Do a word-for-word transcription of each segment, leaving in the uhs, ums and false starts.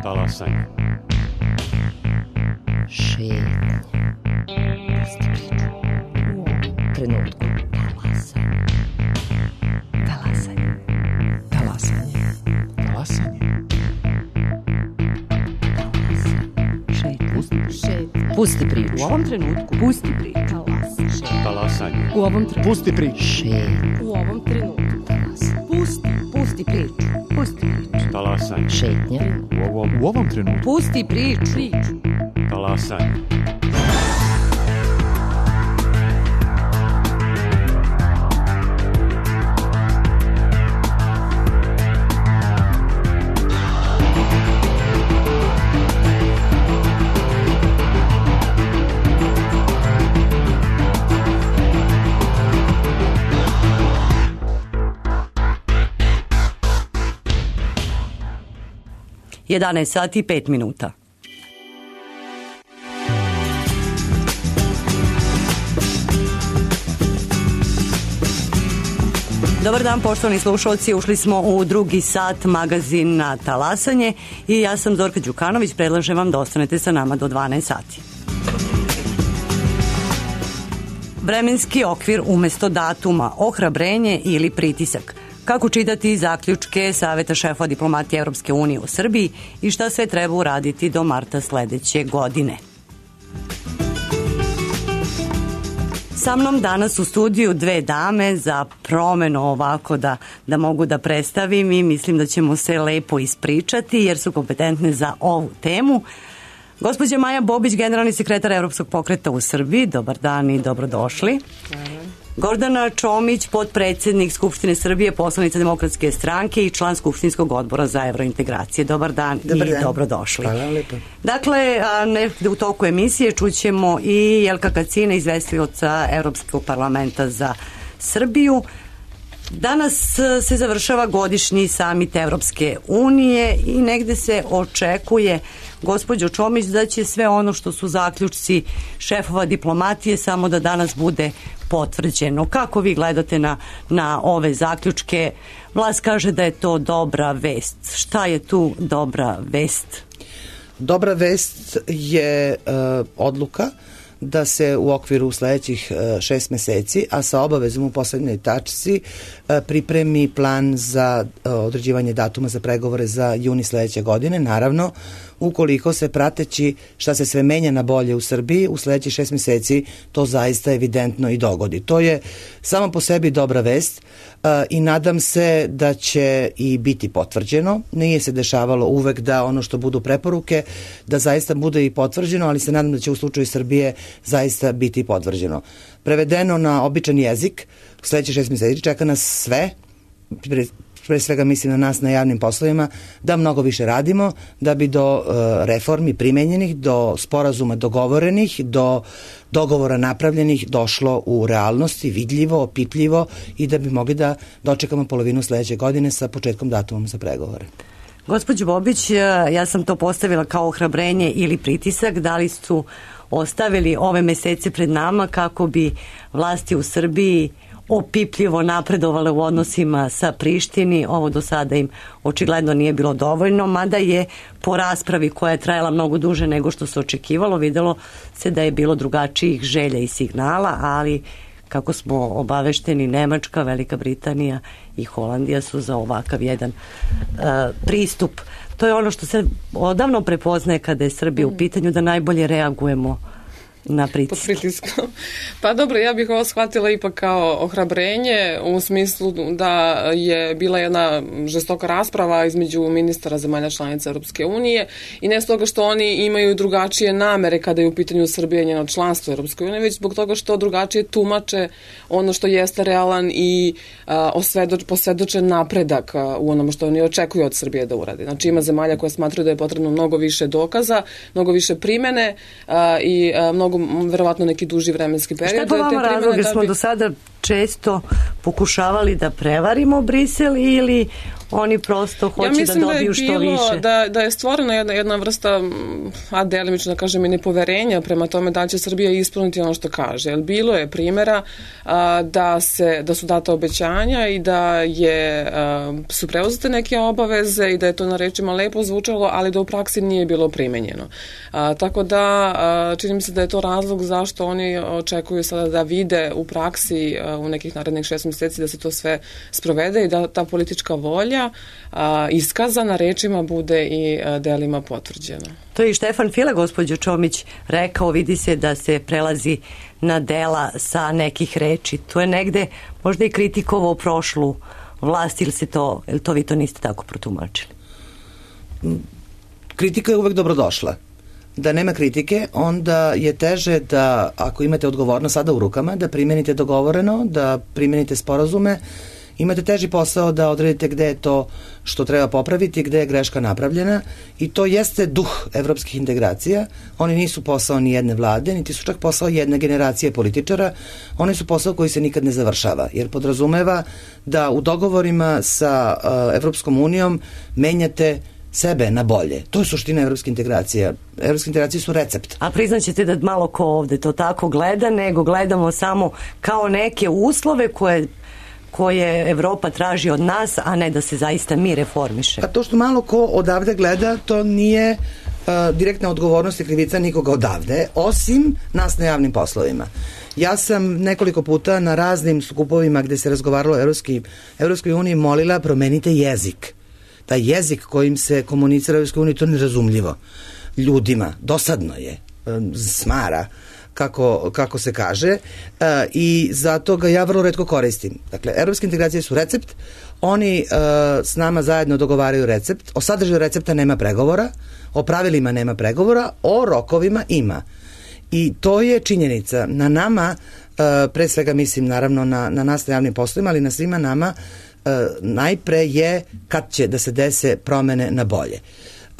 Talasanje. Šetnje. Pusti priču. U ovom trenutku. Talasanje. Talasanje. Talasanje. Talasanje. Šetnje. Pusti priču. U ovom trenutku. Pusti priču. Talasanje. U ovom trenutku. Pusti priču. Šetnje. U ovom trenutku. Talasanje. Pusti. Pusti priču. Pusti priču. Talasanje. Šetnja. U ovom, U ovom trenutku. Pusti priču. Priču. talasanje. jedanaest sati i pet minuta. Dobar dan, poštovani slušalci, ušli smo u drugi sat magazina Talasanje i ja sam Zorka Đukanović, predlažem vam da ostanete sa nama do dvanaest sati. Vremenski okvir umesto datuma, ohrabrenje ili pritisak. Kako čitati zaključke Saveta šefova diplomatije Evropske unije u Srbiji i šta sve treba uraditi do marta sledeće godine. Sa mnom danas u studiju dve dame za promenu ovako da, da mogu da predstavim i mislim da ćemo se lepo ispričati jer su kompetentne za ovu temu. Gospođa Maja Bobić, generalni sekretar Evropskog pokreta u Srbiji. Dobar dan i dobrodošli. Hvala. Gordana Čomić, potpredsednik Skupštine Srbije, poslanica Demokratske stranke i član Skupštinskog odbora za evrointegracije. Dobar dan Dobar i dan. dobrodošli. Hvala lepo. Dakle, nekde u toku emisije čućemo i Jelka Kacina, izvestioca Evropskog parlamenta za Srbiju. Danas se završava godišnji samit Evropske unije i negde se očekuje, gospođo Čomić, da će sve ono što su zaključci šefova diplomatije samo da danas bude potvrđeno. Kako vi gledate na, na ove zaključke? Vlast kaže da je to dobra vest. Šta je tu dobra vest? Dobra vest je uh, odluka da se u okviru sledećih šest meseci, a sa obavezom u poslednjoj tačci, pripremi plan za određivanje datuma za pregovore za juni sledeće godine. Naravno, ukoliko se prateći šta se sve menja na bolje u Srbiji, u sledećih šest meseci to zaista evidentno i dogodi. To je samo po sebi dobra vest i nadam se da će i biti potvrđeno. Nije se dešavalo uvek da ono što budu preporuke, da zaista bude i potvrđeno, ali se nadam da će u slučaju Srbije zaista biti potvrđeno. Prevedeno na običan jezik, u sledećih šest meseci čeka nas sve, pre, pre svega mislim na nas na javnim poslovima, da mnogo više radimo, da bi do uh, reformi primenjenih, do sporazuma dogovorenih, do dogovora napravljenih došlo u realnosti, vidljivo, opipljivo i da bi mogli da dočekamo polovinu sledeće godine sa početkom datumom za pregovore. Gospođo Bobić, ja sam to postavila kao ohrabrenje ili pritisak, da li su ostavili ove mesece pred nama kako bi vlasti u Srbiji opipljivo napredovale u odnosima sa Prištini. Ovo do sada im očigledno nije bilo dovoljno, mada je po raspravi koja je trajala mnogo duže nego što se očekivalo, videlo se da je bilo drugačijih želja i signala, ali kako smo obavešteni, Nemačka, Velika Britanija i Holandija su za ovakav jedan uh, pristup. To je ono što se odavno prepoznaje kada je Srbija u pitanju, da najbolje reagujemo na pritisak. Pod pritiskom. Pa dobro, ja bih ovo shvatila ipak kao ohrabrenje u smislu da je bila jedna žestoka rasprava između ministara zemalja članica Europske unije i ne stoga što oni imaju drugačije namere kada je u pitanju Srbije njeno članstvo Europske unije, već zbog toga što drugačije tumače ono što jeste realan i a, osvedoč, posvedočen napredak a, u onome što oni očekuju od Srbije da uradi. Znači ima zemalja koje smatraju da je potrebno mnogo više dokaza, mnogo više primene a, i a, mnogo verovatno neki duži vremenski period. Šta je po vama razlog, jer smo bi... do sada često pokušavali da prevarimo Brisel ili oni prosto hoće ja mislim da dobiju da je što bilo, više. Da, da je stvorena jedna, jedna vrsta, a delimično da kažem i nepoverenja prema tome da će Srbija ispuniti ono što kaže. Jer bilo je primjera a, da, se, da su data obećanja i da je, a, su preuzete neke obaveze i da je to na rečima lepo zvučalo, ali da u praksi nije bilo primenjeno. A, tako da a, čini mi se da je to razlog zašto oni očekuju sada da vide u praksi a, u nekih narednih šest mjeseci da se to sve sprovede i da ta politička volja a, iskazana rečima bude i a, delima potvrđena. To je i Štefan File, gospođo Čomić, rekao, vidi se da se prelazi na dela sa nekih reči. To je negde možda i kritikovao prošlu vlast, ili se to, ili to vi to niste tako protumačili? Kritika je uvek dobrodošla. Da nema kritike, onda je teže da, ako imate odgovornost sada u rukama, da primenite dogovoreno, da primenite sporazume, imate teži posao da odredite gde je to što treba popraviti, gde je greška napravljena, i to jeste duh evropskih integracija. Oni nisu posao ni jedne vlade, niti su čak posao jedne generacije političara, oni su posao koji se nikad ne završava, jer podrazumeva da u dogovorima sa uh, Evropskom unijom menjate sebe na bolje. To je suština evropske integracije. Evropske integracije su recept. A priznaćete da malo ko ovde to tako gleda, nego gledamo samo kao neke uslove koje koje Evropa traži od nas, a ne da se zaista mi reformiše. A to što malo ko odavde gleda, to nije uh, direktna odgovornost i krivica nikoga odavde, osim nas na javnim poslovima. Ja sam nekoliko puta na raznim skupovima gde se razgovaralo o Evropski, Evropskoj uniji molila promenite jezik. Taj jezik kojim se komunicira u Evropskoj uniji, to je nerazumljivo ljudima. Dosadno je. Um, smara. Kako, kako se kaže, uh, i zato ga ja vrlo retko koristim. Dakle, evropske integracije su recept, oni uh, s nama zajedno dogovaraju recept, o sadržaju recepta nema pregovora, o pravilima nema pregovora, o rokovima ima. I to je činjenica. Na nama, uh, pre svega mislim naravno na, na nas na javnim poslovima, ali na svima nama, uh, najpre je kad će da se dese promene na bolje.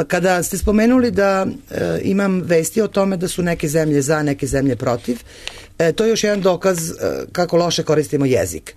Kada ste spomenuli da e, imam vesti o tome da su neke zemlje za, neke zemlje protiv, e, to je još jedan dokaz e, kako loše koristimo jezik.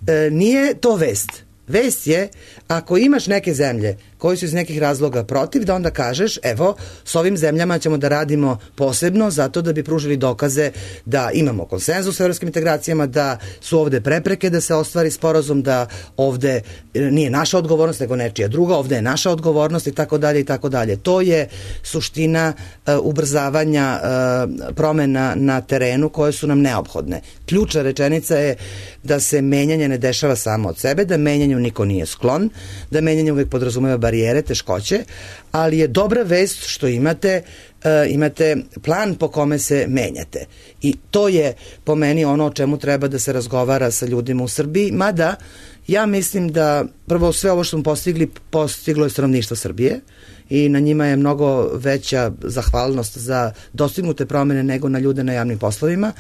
E, nije to vest. Vest je, ako imaš neke zemlje koji su iz nekih razloga protiv, da onda kažeš, evo, s ovim zemljama ćemo da radimo posebno zato da bi pružili dokaze da imamo konsenzus u evropskim integracijama, da su ovde prepreke da se ostvari sporazum, da ovde nije naša odgovornost, nego nečija druga, ovde je naša odgovornost i tako dalje i tako dalje. To je suština uh, ubrzavanja uh, promena na terenu koje su nam neophodne. Ključna rečenica je da se menjanje ne dešava samo od sebe, da menjanju niko nije sklon, da menjanje uvek podrazumeva barijere, teškoće, ali je dobra vest što imate uh, imate plan po kome se menjate. I to je po meni ono o čemu treba da se razgovara sa ljudima u Srbiji, mada ja mislim da prvo sve ovo što smo postigli, postiglo je stanovništvo Srbije i na njima je mnogo veća zahvalnost za dostignute promene nego na ljude na javnim poslovima.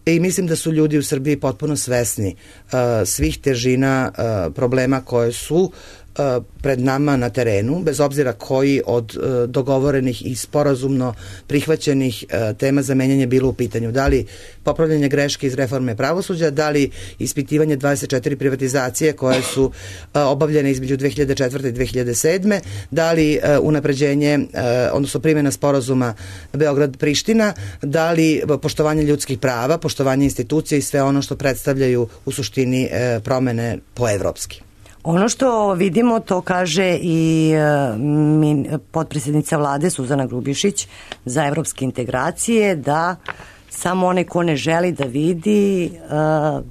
I mislim da su ljudi u Srbiji potpuno svesni uh, svih težina uh, problema koje su uh, pred nama na terenu, bez obzira koji od uh, dogovorenih i sporazumno prihvaćenih uh, tema za menjanje bilo u pitanju. Da li popravljanje greške iz reforme pravosuđa, da li ispitivanje dvadeset četiri privatizacije koje su uh, obavljene između dve hiljade četvrte i dve hiljade sedme, da li uh, unapređenje, uh, odnosno primjena sporazuma Beograd-Priština, da li poštovanje ljudskih prava, poštovanje institucija i sve ono što predstavljaju u suštini uh, promene po-evropski. Ono što vidimo, to kaže i uh, min, potpredsjednica vlade Suzana Grubješić za evropske integracije, da samo onaj ko ne želi da vidi, uh,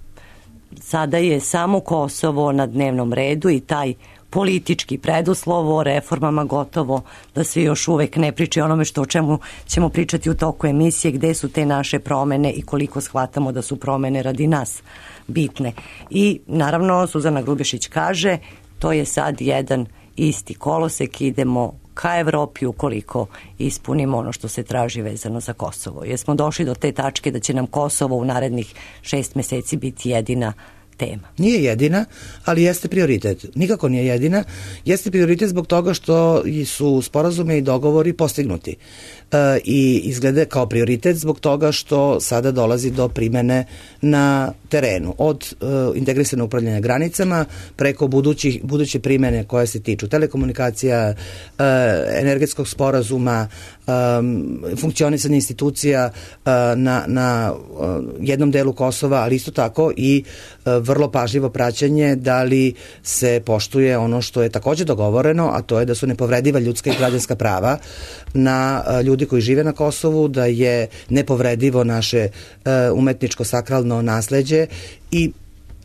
sada je samo Kosovo na dnevnom redu i taj politički preduslov o reformama gotovo da se još uvek ne priče onome što o čemu ćemo pričati u toku emisije, gde su te naše promene i koliko shvatamo da su promene radi nas bitne. I naravno Suzana Grubješić kaže, to je sad jedan isti kolosek, idemo ka Evropi ukoliko ispunimo ono što se traži vezano za Kosovo. Jer smo došli do te tačke da će nam Kosovo u narednih šest meseci biti jedina tema. Nije jedina, ali jeste prioritet. Nikako nije jedina. Jeste prioritet zbog toga što su sporazume i dogovori postignuti. E, I izgleda kao prioritet zbog toga što sada dolazi do primene na terenu. Od e, integrisanog upravljanja granicama preko budućih, buduće primene koje se tiču telekomunikacija, e, energetskog sporazuma, e, funkcionisanja institucija e, na, na e, jednom delu Kosova, ali isto tako i e, vrlo pažljivo praćenje da li se poštuje ono što je takođe dogovoreno, a to je da su nepovrediva ljudska i građanska prava na e, ljudi koji žive na Kosovu, da je nepovredivo naše e, umetničko sakralno nasleđe i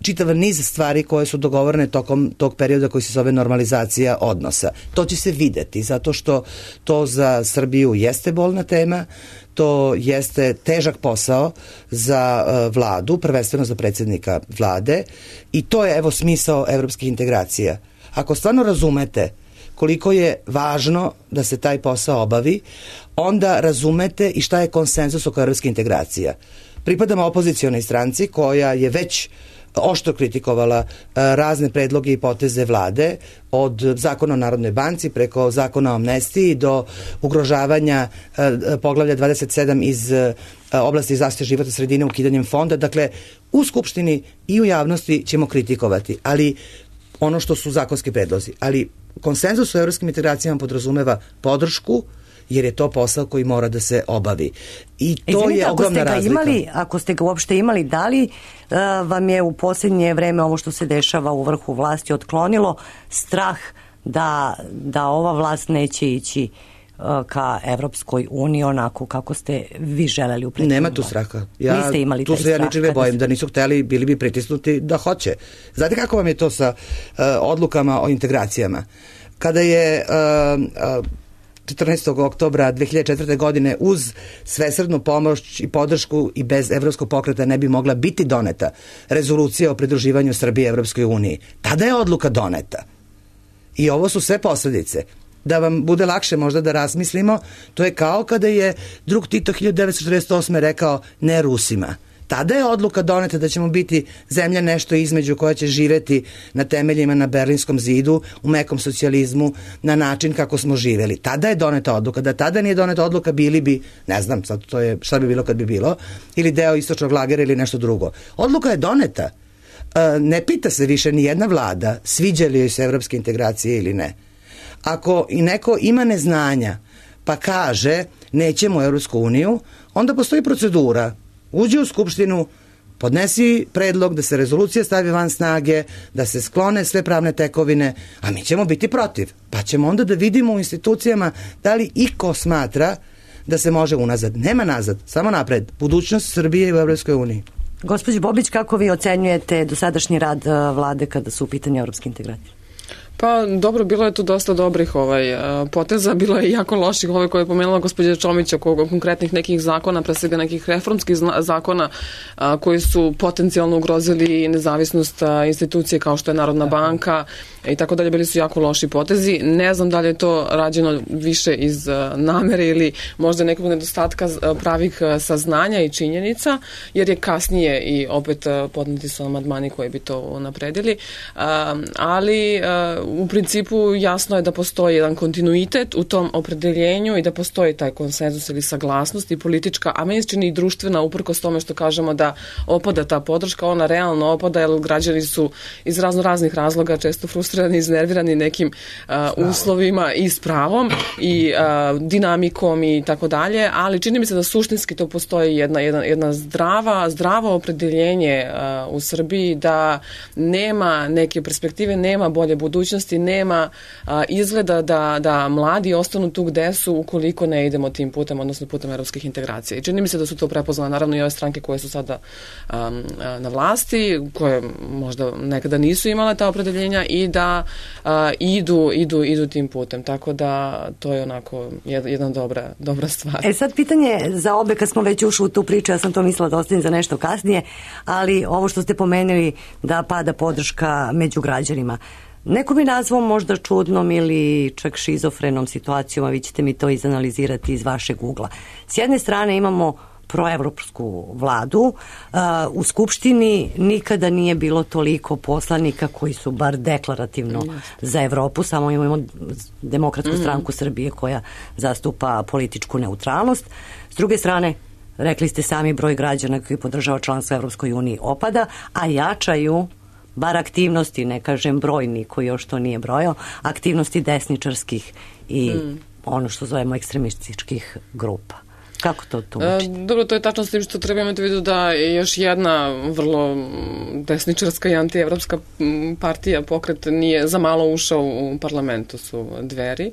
čitav niz stvari koje su dogovorene tokom tog perioda koji se zove normalizacija odnosa. To će se videti, zato što to za Srbiju jeste bolna tema, to jeste težak posao za uh, vladu, prvenstveno za predsjednika vlade i to je evo smisao evropskih integracija. Ako stvarno razumete koliko je važno da se taj posao obavi, onda razumete i šta je konsenzus oko evropskih integracija. Pripadamo opozicionoj stranci koja je već oštro kritikovala razne predloge i poteze vlade, od zakona o Narodnoj banci preko zakona o amnestiji do ugrožavanja poglavlja dvadeset sedam iz oblasti zaštite životne sredine ukidanjem fonda. Dakle, u Skupštini i u javnosti ćemo kritikovati, ali ono što su zakonski predlozi. Ali konsenzus u evropskim integracijama podrazumeva podršku, jer je to posao koji mora da se obavi. I to Izvinite, je ogromna razlika. Imali, ako ste ga uopšte imali, da li uh, vam je u posljednje vreme ovo što se dešava u vrhu vlasti otklonilo strah da, da ova vlast neće ići uh, ka Evropskoj uniji onako kako ste vi želeli u prethodnom? Nema tu straha. Ja, Niste imali tu taj se ja strah ničeg ne bojim, ste... da nisu hteli, bili bi pritisnuti da hoće. Znate kako vam je to sa uh, odlukama o integracijama? Kada je uh, uh, četrnaestog oktobra dve hiljade četvrte. godine uz svesrdnu pomoć i podršku i bez evropskog pokreta ne bi mogla biti doneta rezolucija o pridruživanju Srbije Evropskoj uniji. Tada je odluka doneta. I ovo su sve posledice. Da vam bude lakše možda da razmislimo, to je kao kada je drug Tito hiljadu devetsto četrdeset osme. rekao ne Rusima. Tada je odluka doneta da ćemo biti zemlja nešto između koja će živeti na temeljima na Berlinskom zidu, u mekom socijalizmu, na način kako smo živeli. Tada je doneta odluka. Da tada nije doneta odluka, bili bi, ne znam, sad to je šta bi bilo kad bi bilo, ili deo istočnog lagera ili nešto drugo. Odluka je doneta. Ne pita se više ni jedna vlada sviđa li joj se evropske integracije ili ne. Ako i neko ima neznanja pa kaže nećemo u Evropsku uniju, onda postoji procedura. Uđi u Skupštinu, podnesi predlog da se rezolucija stavi van snage, da se sklone sve pravne tekovine, a mi ćemo biti protiv. Pa ćemo onda da vidimo u institucijama da li iko smatra da se može unazad. Nema nazad, samo napred. Budućnost Srbije u Evropskoj uniji. Gospođo Bobić, kako vi ocenjujete dosadašnji rad vlade kada su u pitanju evropske integracije? Pa dobro, bilo je tu dosta dobrih ovaj, poteza, bilo je jako loših ovaj koje je pomenula gospođa Čomić oko konkretnih nekih zakona, pre svega nekih reformskih zakona a, koji su potencijalno ugrozili nezavisnost a, institucije kao što je Narodna banka i tako dalje, bili su jako loši potezi. Ne znam da li je to rađeno više iz a, namere ili možda nekog nedostatka a, pravih a, saznanja i činjenica, jer je kasnije i opet a, podneti su amandmani koji bi to napredili, a, ali a, u principu jasno je da postoji jedan kontinuitet u tom opredeljenju i da postoji taj konsenzus ili saglasnost i politička, a meni se čini i društvena, uprkos tome što kažemo da opada ta podrška, ona realno opada jer građani su iz razno raznih razloga često frustrirani, iznervirani nekim uh, uslovima i s pravom i uh, dinamikom i tako dalje, ali čini mi se da suštinski to postoji jedna, jedna, jedna zdrava, zdravo opredeljenje uh, u Srbiji da nema neke perspektive, nema bolje budućnosti, nema a, izgleda da, da mladi ostanu tu gde su ukoliko ne idemo tim putem, odnosno putem evropskih integracija. I čini mi se da su to prepoznale naravno i ove stranke koje su sada a, a, na vlasti, koje možda nekada nisu imale ta opredeljenja i da a, idu, idu, idu tim putem. Tako da to je onako jedna dobra, dobra stvar. E sad pitanje za obe, kad smo već ušli u tu priču, ja sam to mislila da ostavim za nešto kasnije, ali ovo što ste pomenuli da pada podrška među građanima. Neko bi nazvao možda čudnom ili čak šizofrenom situacijom, a vi ćete mi to izanalizirati iz vašeg ugla. S jedne strane imamo proevropsku vladu. U Skupštini nikada nije bilo toliko poslanika koji su bar deklarativno za Evropu, samo imamo Demokratsku stranku Srbije koja zastupa političku neutralnost. S druge strane, rekli ste sami, broj građana koji podržava članstvo Evropskoj uniji opada, a jačaju bar aktivnosti, ne kažem broj, niko još to nije brojao, aktivnosti desničarskih i mm. ono što zovemo ekstremističkih grupa. Kako to tumačite? E, dobro, to je tačno s tim što treba imati u vidu da je još jedna vrlo desničarska i antievropska partija, pokret, nije za malo ušao u parlamentu, su Dveri.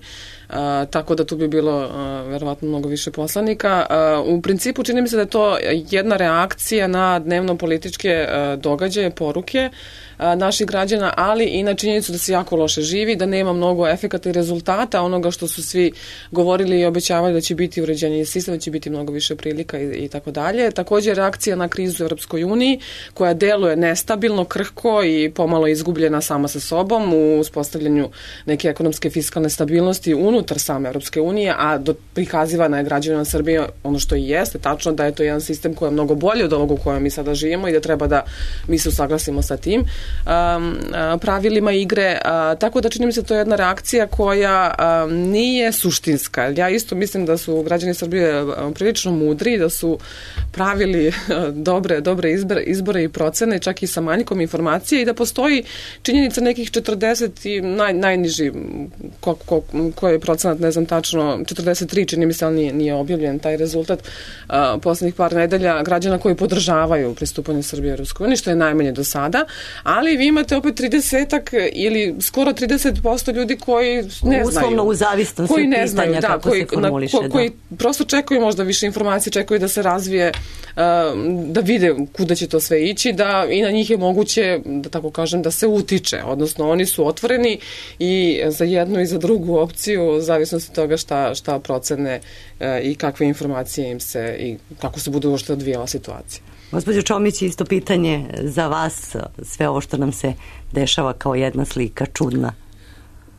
A, tako da tu bi bilo a, verovatno mnogo više poslanika. A, u principu čini mi se da je to jedna reakcija na dnevno političke a, događaje, poruke a, naših građana, ali i na činjenicu da se jako loše živi, da nema mnogo efekata i rezultata onoga što su svi govorili i obećavali da će biti uređenje sistema, da će biti mnogo više prilika i, i tako dalje. Također reakcija na krizu u Europskoj uniji koja deluje nestabilno, krhko i pomalo izgubljena sama sa sobom u uspostavljanju neke ekonomske fiskalne stabilnosti unutar same Europske unije, a do, prikazivana je građanima Srbije ono što i jeste, tačno da je to jedan sistem koji je mnogo bolji od ovog u kojem mi sada živimo i da treba da mi se usaglasimo sa tim um, pravilima igre, uh, tako da čini mi se to je jedna reakcija koja um, nije suštinska. Ja isto mislim da su građani Srbije prilično mudri, da su pravili dobre, dobre izbore, izbore i procene, čak i sa manjkom informacije i da postoji činjenica nekih četrdeset i naj, najniži ko, ko, koji je procenat, ne znam tačno, četrdeset tri čini mi se, ali nije, nije objavljen taj rezultat uh, poslednjih par nedelja građana koji podržavaju pristupanje Srbije u Europskoj uniji, što je najmanje do sada, ali vi imate opet tridesetak ili skoro trideset posto ljudi koji ne znaju. Uslovno u zavisnosti koji pitanja ne znaju, da, kako koji, se formuliše. Na, ko, koji prosto čekaju možda više informacije, čekaju da se razvije, uh, da vide kuda će to sve ići, da i na njih je moguće, da tako kažem, da se utiče, odnosno oni su otvoreni i za jednu i za drugu opciju, u zavisnosti toga šta, šta procene uh, i kakve informacije im se i kako se bude uopšte odvijala situacija. Gospođo Čomić, isto pitanje za vas, sve ovo što nam se dešava kao jedna slika čudna.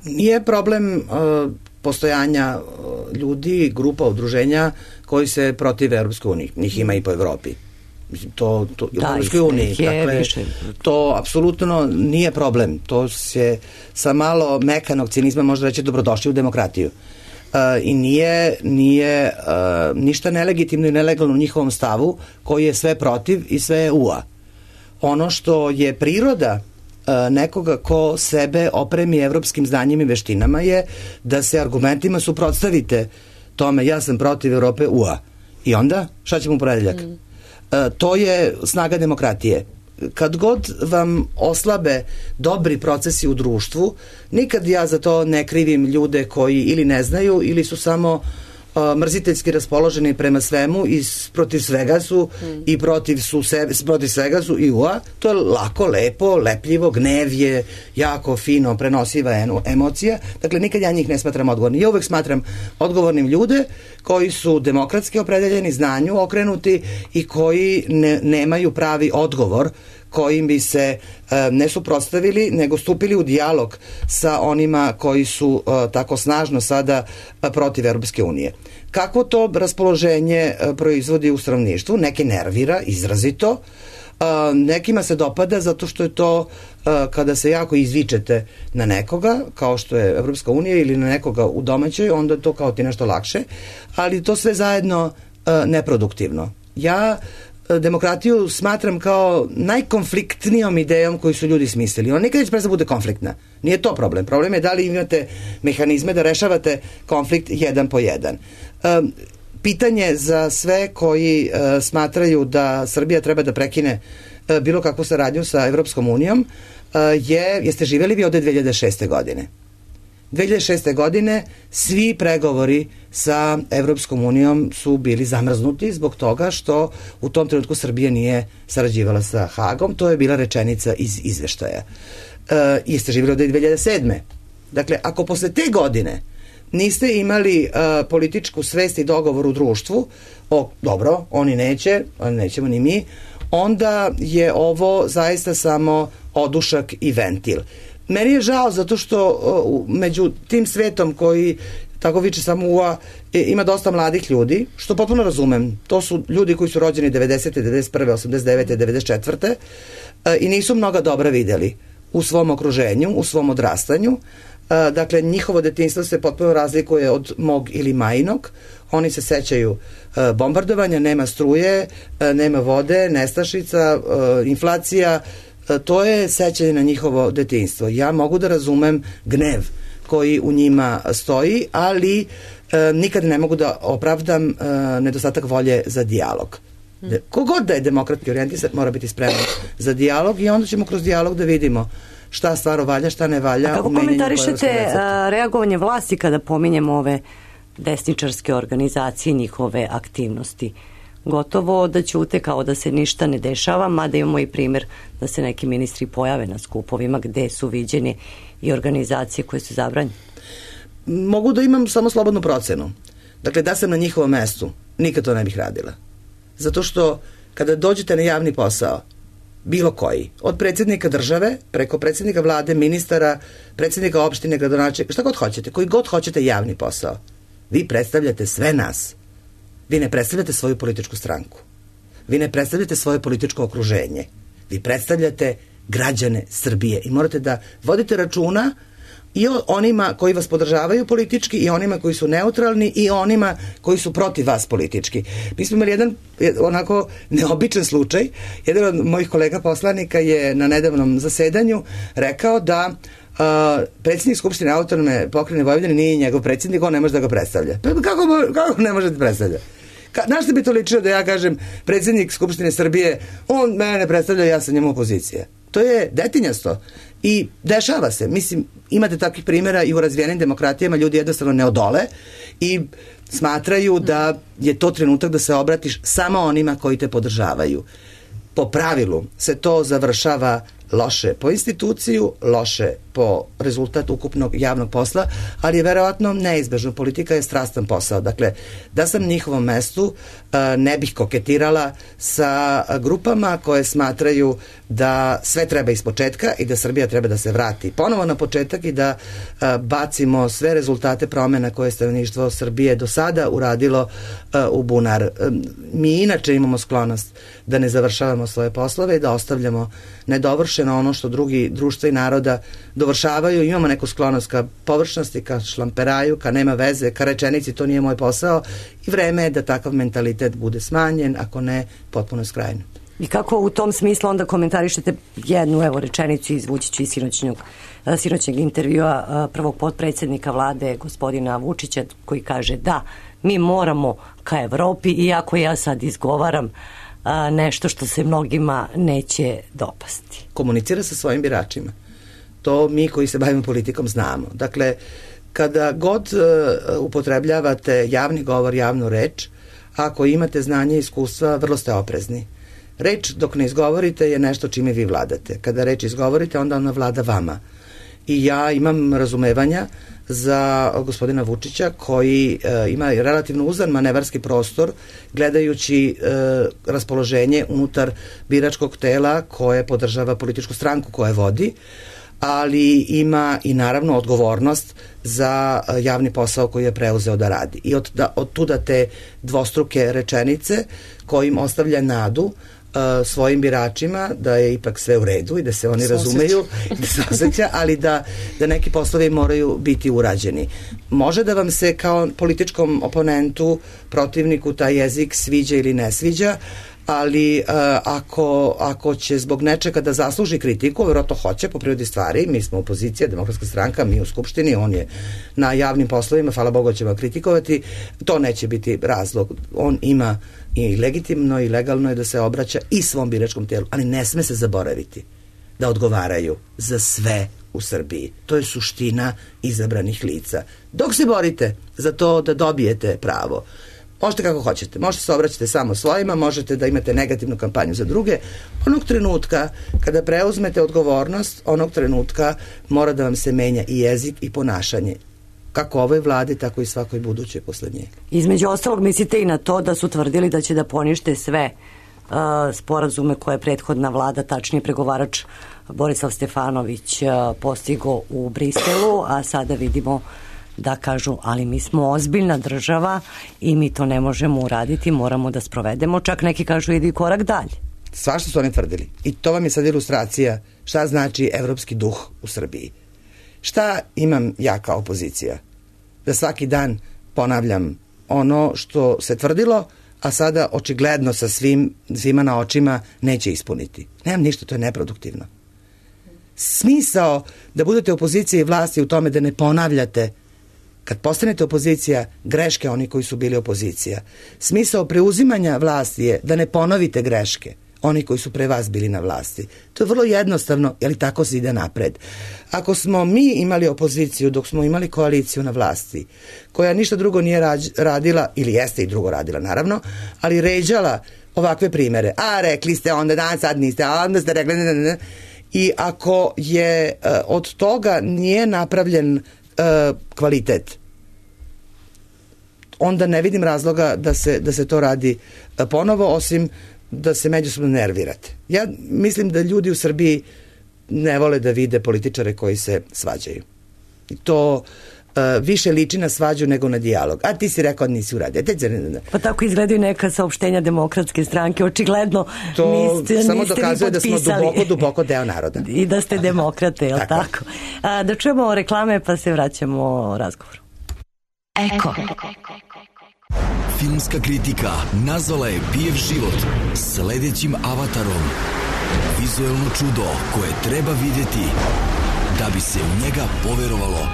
Nije problem uh, postojanja uh, ljudi, grupa, udruženja koji se protive Europskoj uniji. Njih ima i po Evropi. To, to, da, u Europskoj uniji. Dakle, to apsolutno nije problem. To se sa malo mekanog cinizma može reći dobrodošli u demokratiju. Uh, i nije, nije uh, ništa nelegitimno i nelegalno u njihovom stavu koji je sve protiv i sve je ua. Ono što je priroda uh, nekoga ko sebe opremi evropskim znanjima i veštinama je da se argumentima suprotstavite tome ja sam protiv Evrope ua. I onda šta ćemo u ponedeljak? Mm. Uh, to je snaga demokratije. Kad god vam oslabe dobri procesi u društvu, nikad ja za to ne krivim ljude koji ili ne znaju ili su samo uh, mrziteljski raspoloženi prema svemu i protiv svega su mm. i protiv, su sebe, protiv svega su i ua. To je lako, lepo, lepljivo, gnev je jako fino prenosiva emocija. Dakle, nikad ja njih ne smatram odgovornim. Ja uvek smatram odgovornim ljude koji su demokratski opredeljeni, znanju okrenuti i koji ne, nemaju pravi odgovor kojim bi se e, ne suprotstavili, nego stupili u dijalog sa onima koji su e, tako snažno sada e, protiv Europske unije. Kako to raspoloženje e, proizvodi u stanovništvu? Neke nervira izrazito, e, nekima se dopada zato što je to e, kada se jako izvičete na nekoga, kao što je Europska unija ili na nekoga u domaćoj, onda to kao ti nešto lakše, ali to sve zajedno e, neproduktivno. Ja demokratiju smatram kao najkonfliktnijom idejom koju su ljudi smislili. Ona nikad neće prestati bude konfliktna. Nije to problem. Problem je da li imate mehanizme da rešavate konflikt jedan po jedan. Um, pitanje za sve koji uh, smatraju da Srbija treba da prekine uh, bilo kakvu saradnju sa Evropskom unijom uh, je, jeste živjeli vi ovde dve hiljade šeste. godine? dve hiljade šeste. godine svi pregovori sa Evropskom unijom su bili zamrznuti zbog toga što u tom trenutku Srbija nije sarađivala sa Hagom. To je bila rečenica iz izveštaja. E, jeste živjeli od dve hiljade sedme. Dakle, ako posle te godine niste imali e, političku svest i dogovor u društvu, o, dobro, oni neće, oni nećemo ni mi, onda je ovo zaista samo odušak i ventil. Meni je žao zato što uh, među tim svetom koji tako viče samo ua, ima dosta mladih ljudi, što potpuno razumem. To su ljudi koji su rođeni devedesete, devedeset prve, osamdeset devete, devedeset četvrte i nisu mnoga dobra videli u svom okruženju, u svom odrastanju. Dakle, njihovo detinjstvo se potpuno razlikuje od mog ili majinog. Oni se sećaju bombardovanja, nema struje, nema vode, nestašica, inflacija. To je sećanje na njihovo detinjstvo. Ja mogu da razumem gnev koji u njima stoji, ali e, nikad ne mogu da opravdam e, nedostatak volje za dijalog. De, kogod da je demokratski orijentisan mora biti spreman za dijalog i onda ćemo kroz dijalog da vidimo šta stvarno valja, šta ne valja. A kako komentarišete reagovanje vlasti kada pominjemo ove desničarske organizacije, njihove aktivnosti? Gotovo da ćute kao da se ništa ne dešava, mada imamo i primjer da se neki ministri pojave na skupovima gde su viđene i organizacije koje su zabranjene. Mogu da imam samo slobodnu procenu. Dakle, da sam na njihovom mestu, nikad to ne bih radila. Zato što kada dođete na javni posao, bilo koji, od predsjednika države, preko predsjednika vlade, ministara, predsjednika opštine, gradonačelnika, šta god hoćete, koji god hoćete javni posao, vi predstavljate sve nas. Vi ne predstavljate svoju političku stranku. Vi ne predstavljate svoje političko okruženje. Vi predstavljate građane Srbije i morate da vodite računa i o onima koji vas podržavaju politički i onima koji su neutralni i onima koji su protiv vas politički. Mi smo imali jedan onako neobičan slučaj. Jedan od mojih kolega poslanika je na nedavnom zasedanju rekao da Uh, predsjednik Skupštine Autonomne pokrajine Vojvodine nije njegov predsjednik, on ne može da ga predstavlja. Pa kako, kako ne može da predstavlja? Ka, na što bi to ličilo da ja kažem predsjednik Skupštine Srbije, on mene ne predstavlja, ja sam njemu opozicija. To je detinjasto i dešava se. Mislim, imate takvih primjera i u razvijenim demokratijama, ljudi jednostavno ne odole i smatraju da je to trenutak da se obratiš samo onima koji te podržavaju. Po pravilu se to završava loše po instituciju, loše po rezultat ukupnog javnog posla, ali je verovatno neizbežno. Politika je strastan posao. Dakle, da sam na njihovom mestu ne bih koketirala sa grupama koje smatraju da sve treba iz početka i da Srbija treba da se vrati ponovo na početak i da bacimo sve rezultate promjena koje stanovništvo Srbije do sada uradilo u bunar. Mi inače imamo sklonost da ne završavamo svoje poslove i da ostavljamo nedovršeno ono što drugi društva i naroda dovršavaju. Imamo neku sklonost ka površnosti, ka šlamperaju, ka nema veze, ka rečenici to nije moj posao i vreme je da takav mentalitet bude smanjen, ako ne potpuno skrajno. I kako u tom smislu onda komentarišete jednu evo rečenicu, izvući ću iz sinoćnog, sinoćnog intervjua prvog potpredsjednika vlade gospodina Vučića koji kaže da mi moramo ka Evropi, iako ja sad izgovaram a, nešto što se mnogima neće dopasti. Komunicira sa svojim biračima. To mi koji se bavimo politikom znamo. Dakle, kada god uh, upotrebljavate javni govor, javnu reč, ako imate znanje i iskustva, vrlo ste oprezni. Reč dok ne izgovorite je nešto čime vi vladate. Kada reč izgovorite, onda ona vlada vama. I ja imam razumevanja za gospodina Vučića koji e, ima relativno uzan manevarski prostor gledajući e, raspoloženje unutar biračkog tela koje podržava političku stranku koje vodi, ali ima i naravno odgovornost za javni posao koji je preuzeo da radi. I od, da, od tuda te dvostruke rečenice kojim ostavlja nadu Uh, svojim biračima da je ipak sve u redu i da se oni se razumeju i da se osjeća, ali da, da neki poslovi moraju biti urađeni. Može da vam se kao političkom oponentu, protivniku taj jezik sviđa ili ne sviđa, ali uh, ako, ako će zbog nečega da zasluži kritiku, vjerojatno hoće po prirodi stvari, mi smo opozicija, demokratska stranka, mi u Skupštini, on je na javnim poslovima, hvala Bogu ćemo kritikovati, to neće biti razlog. On ima i legitimno i legalno je da se obraća i svom biračkom tijelu, ali ne sme se zaboraviti da odgovaraju za sve u Srbiji. To je suština izabranih lica. Dok se borite za to da dobijete pravo, možete kako hoćete, možete se obraćati samo svojima, možete da imate negativnu kampanju za druge. Onog trenutka kada preuzmete odgovornost, onog trenutka mora da vam se menja i jezik i ponašanje. Kako ovoj vladi, tako i svakoj budućoj posle nje. Između ostalog mislite i na to da su tvrdili da će da ponište sve uh, sporazume koje je prethodna vlada, tačnije pregovarač Borislav Stefanović uh, postigo u Briselu, a sada vidimo da kažu, ali mi smo ozbiljna država i mi to ne možemo uraditi, moramo da sprovedemo, čak neki kažu idi korak dalje. Svašta su oni tvrdili. I to vam je sad ilustracija šta znači evropski duh u Srbiji. Šta imam ja kao opozicija? Da svaki dan ponavljam ono što se tvrdilo, a sada očigledno sa svim, svima na očima neće ispuniti. Nemam ništa, to je neproduktivno. Smisao da budete opozicija i vlasti u tome da ne ponavljate, kad postanete opozicija, greške oni koji su bili opozicija. Smisao preuzimanja vlasti je da ne ponovite greške oni koji su pre vas bili na vlasti. To je vrlo jednostavno, jer i tako se ide napred. Ako smo mi imali opoziciju dok smo imali koaliciju na vlasti, koja ništa drugo nije radila, ili jeste i drugo radila naravno, ali ređala ovakve primere. A rekli ste onda, dan sad niste, a onda ste rekli, ne, ne, ne. I ako je uh, od toga nije napravljen uh, kvalitet, onda ne vidim razloga da se, da se to radi uh, ponovo, osim da se međusobno nervirate. Ja mislim da ljudi u Srbiji ne vole da vide političare koji se svađaju. I to uh, više liči na svađu nego na dijalog. A ti si rekao da nisi uradio. Pa tako izgledaju neka saopštenja Demokratske stranke. Očigledno to niste, samo niste dokazuje da smo duboko, duboko deo naroda. I da ste demokrate, je li tako? tako? A, da čujemo reklame pa se vraćamo razgovoru. Eko. Filmska kritika nazvala je Pijev život sledećim avatarom. Vizuelno čudo koje treba vidjeti da bi se u njega poverovalo.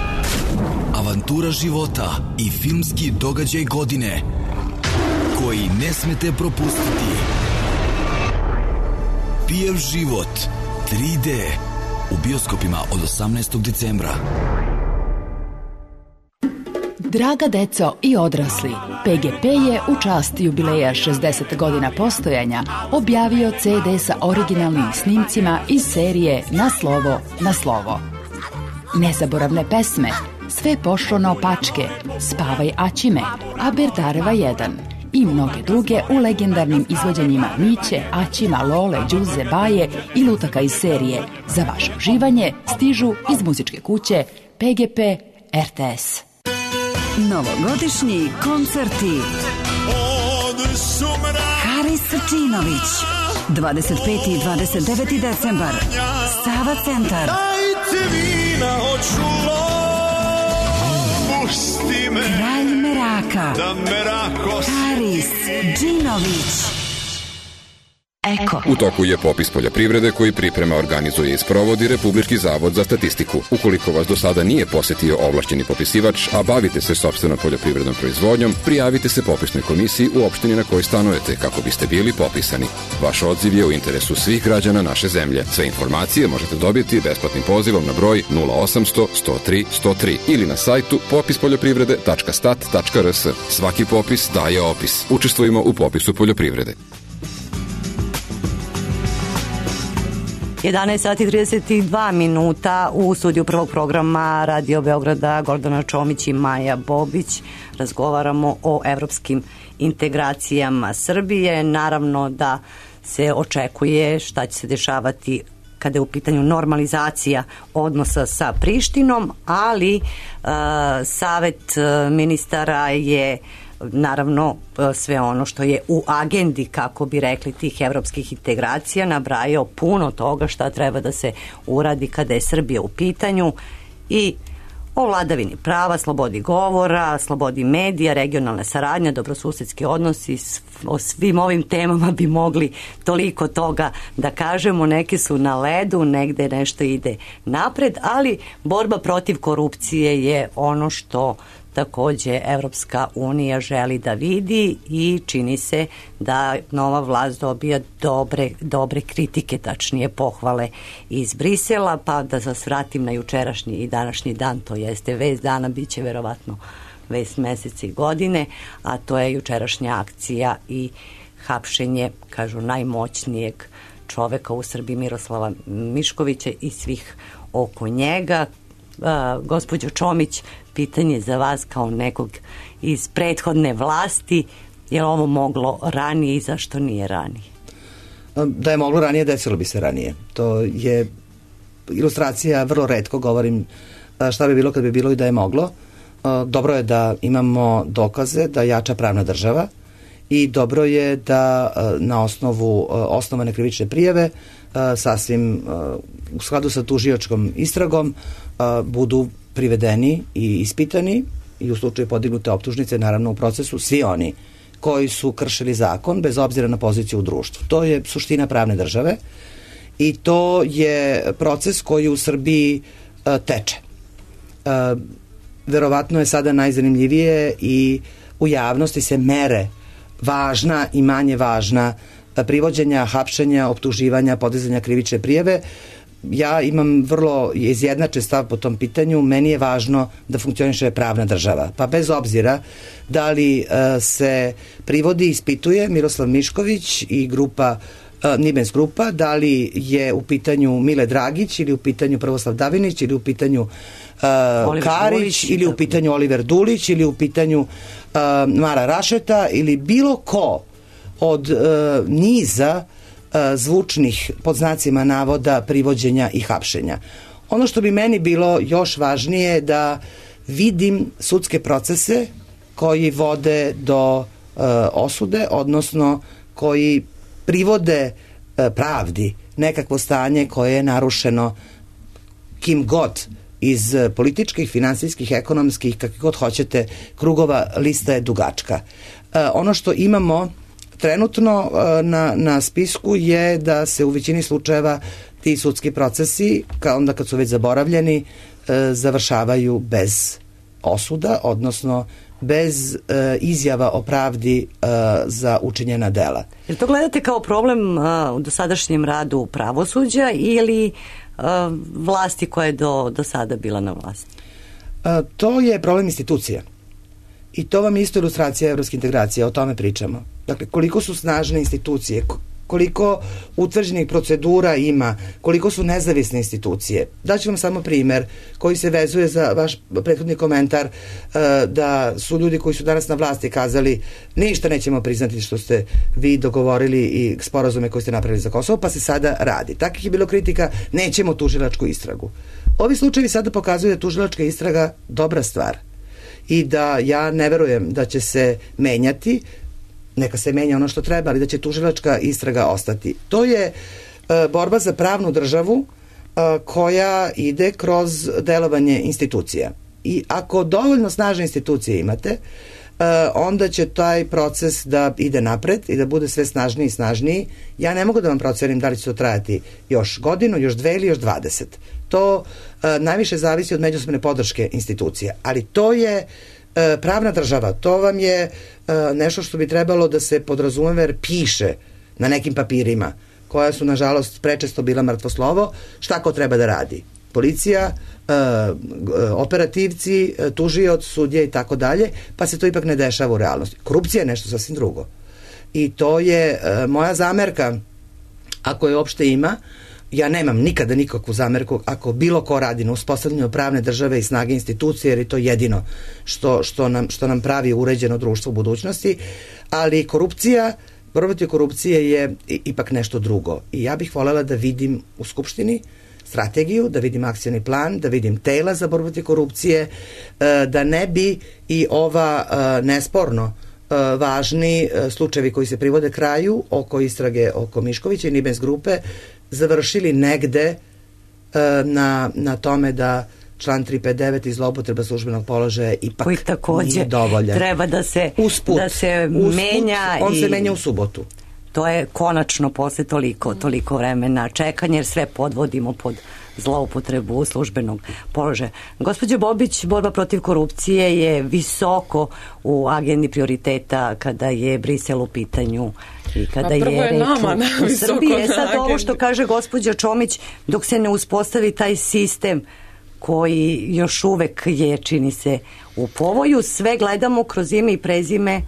Avantura života i filmski događaj godine koji ne smete propustiti. Pijev život tri D u bioskopima od osamnaestog decembra. Draga deco i odrasli, P G P je u čast jubileja šezdeset godina postojanja objavio C D sa originalnim snimcima iz serije Na slovo, na slovo. Nezaboravne pesme, Sve pošlo naopačke, Spavaj Aćime, Aberdareva jedan i mnoge druge u legendarnim izvođenjima Miće, Aćima, Lole, Đuze, Baje i lutaka iz serije. Za vaše uživanje stižu iz muzičke kuće P G P R T S. Novogodišnji koncerti. Haris Sačinović, dvadeset peti i dvadeset deveti decembar, Sava centar. Kralj Meraka, Haris Džinović. Eko. U toku je popis poljoprivrede koji priprema, organizuje i sprovodi Republički zavod za statistiku. Ukoliko vas do sada nije posetio ovlašćeni popisivač, a bavite se sopstvenom poljoprivrednom proizvodnjom, prijavite se popisnoj komisiji u opštini na kojoj stanujete kako biste bili popisani. Vaš odziv je u interesu svih građana naše zemlje. Sve informacije možete dobiti besplatnim pozivom na broj nula osamsto sto tri sto tri ili na sajtu popis poljoprivrede tačka stat tačka r s. Svaki popis daje opis. Učestvujemo u popisu poljoprivrede. jedanaest sati i trideset dva minuta u studiju prvog programa Radio Beograda Gordana Čomić i Maja Bobić. Razgovaramo o evropskim integracijama Srbije. Naravno da se očekuje šta će se dešavati kada je u pitanju normalizacija odnosa sa Prištinom, ali uh, Savet ministara je naravno sve ono što je u agendi, kako bi rekli, tih evropskih integracija, nabrajao puno toga šta treba da se uradi kada je Srbija u pitanju i o vladavini prava, slobodi govora, slobodi medija, regionalna saradnja, dobrosusedski odnosi. O svim ovim temama bi mogli toliko toga da kažemo. Neke su na ledu, negde nešto ide napred, ali borba protiv korupcije je ono što takođe Evropska unija želi da vidi i čini se da nova vlast dobija dobre, dobre kritike, tačnije pohvale iz Brisela, pa da vas vratim na jučerašnji i današnji dan, to jeste vest dana, bit će verovatno vest meseca i godine, a to je jučerašnja akcija i hapšenje, kažu, najmoćnijeg čoveka u Srbiji, Miroslava Miškovića i svih oko njega. Uh, gospođo Čomić, pitanje za vas kao nekog iz prethodne vlasti, je li ovo moglo ranije i zašto nije ranije? Da je moglo ranije, desilo bi se ranije. To je ilustracija, vrlo retko govorim šta bi bilo kad bi bilo i da je moglo. dobro je da imamo dokaze da jača pravna država i dobro je da na osnovu osnovane krivične prijave sasvim u skladu sa tužiočkom istragom budu privedeni i ispitani i u slučaju podignute optužnice, naravno u procesu, svi oni koji su kršili zakon bez obzira na poziciju u društvu. To je suština pravne države i to je proces koji u Srbiji uh, teče. Uh, verovatno je sada najzanimljivije i u javnosti se mere važna i manje važna privođenja, hapšenja, optuživanja, podizanja krivične prijave. Ja imam vrlo izjednačen stav po tom pitanju. Meni je važno da funkcioniše pravna država. Pa bez obzira da li uh, se privodi, ispituje Miroslav Mišković i grupa uh, Nibens grupa, da li je u pitanju Mile Dragić ili u pitanju Prvoslav Davinić ili u pitanju uh, Karić Dulić, ili u pitanju Oliver Dulić ili u pitanju uh, Mara Rašeta ili bilo ko od uh, niza zvučnih, pod znacima navoda, privođenja i hapšenja. Ono što bi meni bilo još važnije da vidim sudske procese koji vode do uh, osude, odnosno koji privode uh, pravdi nekakvo stanje koje je narušeno kim god iz političkih, finansijskih, ekonomskih, kakvih god hoćete krugova, lista je dugačka. Uh, ono što imamo trenutno na, na spisku je da se u većini slučajeva ti sudski procesi, kao onda kad su već zaboravljeni, e, završavaju bez osuda, odnosno bez e, izjava o pravdi e, za učinjena dela. Jer to gledate kao problem a, u dosadašnjem radu pravosuđa ili a, vlasti koja je do, do sada bila na vlasti? A, to je problem institucija. I to vam je isto ilustracija evropske integracije, o tome pričamo. Dakle, koliko su snažne institucije, koliko utvrđenih procedura ima, koliko su nezavisne institucije. Daću vam samo primer koji se vezuje za vaš prethodni komentar da su ljudi koji su danas na vlasti kazali ništa nećemo priznati što ste vi dogovorili i sporazume koje ste napravili za Kosovo, pa se sada radi. Takih je bilo kritika, nećemo tužilačku istragu. Ovi slučajevi sada pokazuju da je tužilačka istraga dobra stvar i da ja ne verujem da će se menjati, neka se menja ono što treba, ali da će tužilačka istraga ostati. To je e, borba za pravnu državu e, koja ide kroz delovanje institucija. I ako dovoljno snažne institucije imate, e, onda će taj proces da ide napred i da bude sve snažniji i snažniji. Ja ne mogu da vam procenim da li će to trajati još godinu, još dve ili još dvadeset. To e, najviše zavisi od međusobne podrške institucija. Ali to je e, pravna država. To vam je e, nešto što bi trebalo da se podrazumeva jer piše na nekim papirima koja su nažalost prečesto bila mrtvo slovo. Šta ko treba da radi? Policija, e, operativci, e, tužioc, sudje i tako dalje, pa se to ipak ne dešava u realnosti. Korupcija je nešto sasvim drugo. I to je e, moja zamerka, ako je uopšte ima. Ja nemam nikada nikakvu zamerku ako bilo ko radi na uspostavljanju pravne države i snage institucije, jer je to jedino što, što, nam, što nam pravi uređeno društvo u budućnosti, ali korupcija, borba protiv korupcije je ipak nešto drugo. I ja bih voljela da vidim u Skupštini strategiju, da vidim akcioni plan, da vidim tela za borbu protiv korupcije, da ne bi i ova nesporno važni slučajevi koji se privode kraju oko istrage oko Miškovića i Nibens grupe završili negde na, na tome da član tristo pedeset devet i zloupotreba službenog položaja ipak koji takođe nije dovoljan. Treba da se, usput, da se usput, menja. On i... se menja u subotu. To je konačno posle toliko, toliko vremena čekanja, jer sve podvodimo pod zloupotrebu službenog položaja. Gospođo Bobić, borba protiv korupcije je visoko u agendi prioriteta kada je Brisel u pitanju i kada je reč u, u Srbiji. E sad ovo što kaže gospođa Čomić, dok se ne uspostavi taj sistem koji još uvek je, čini se, u povoju, sve gledamo kroz ime i prezime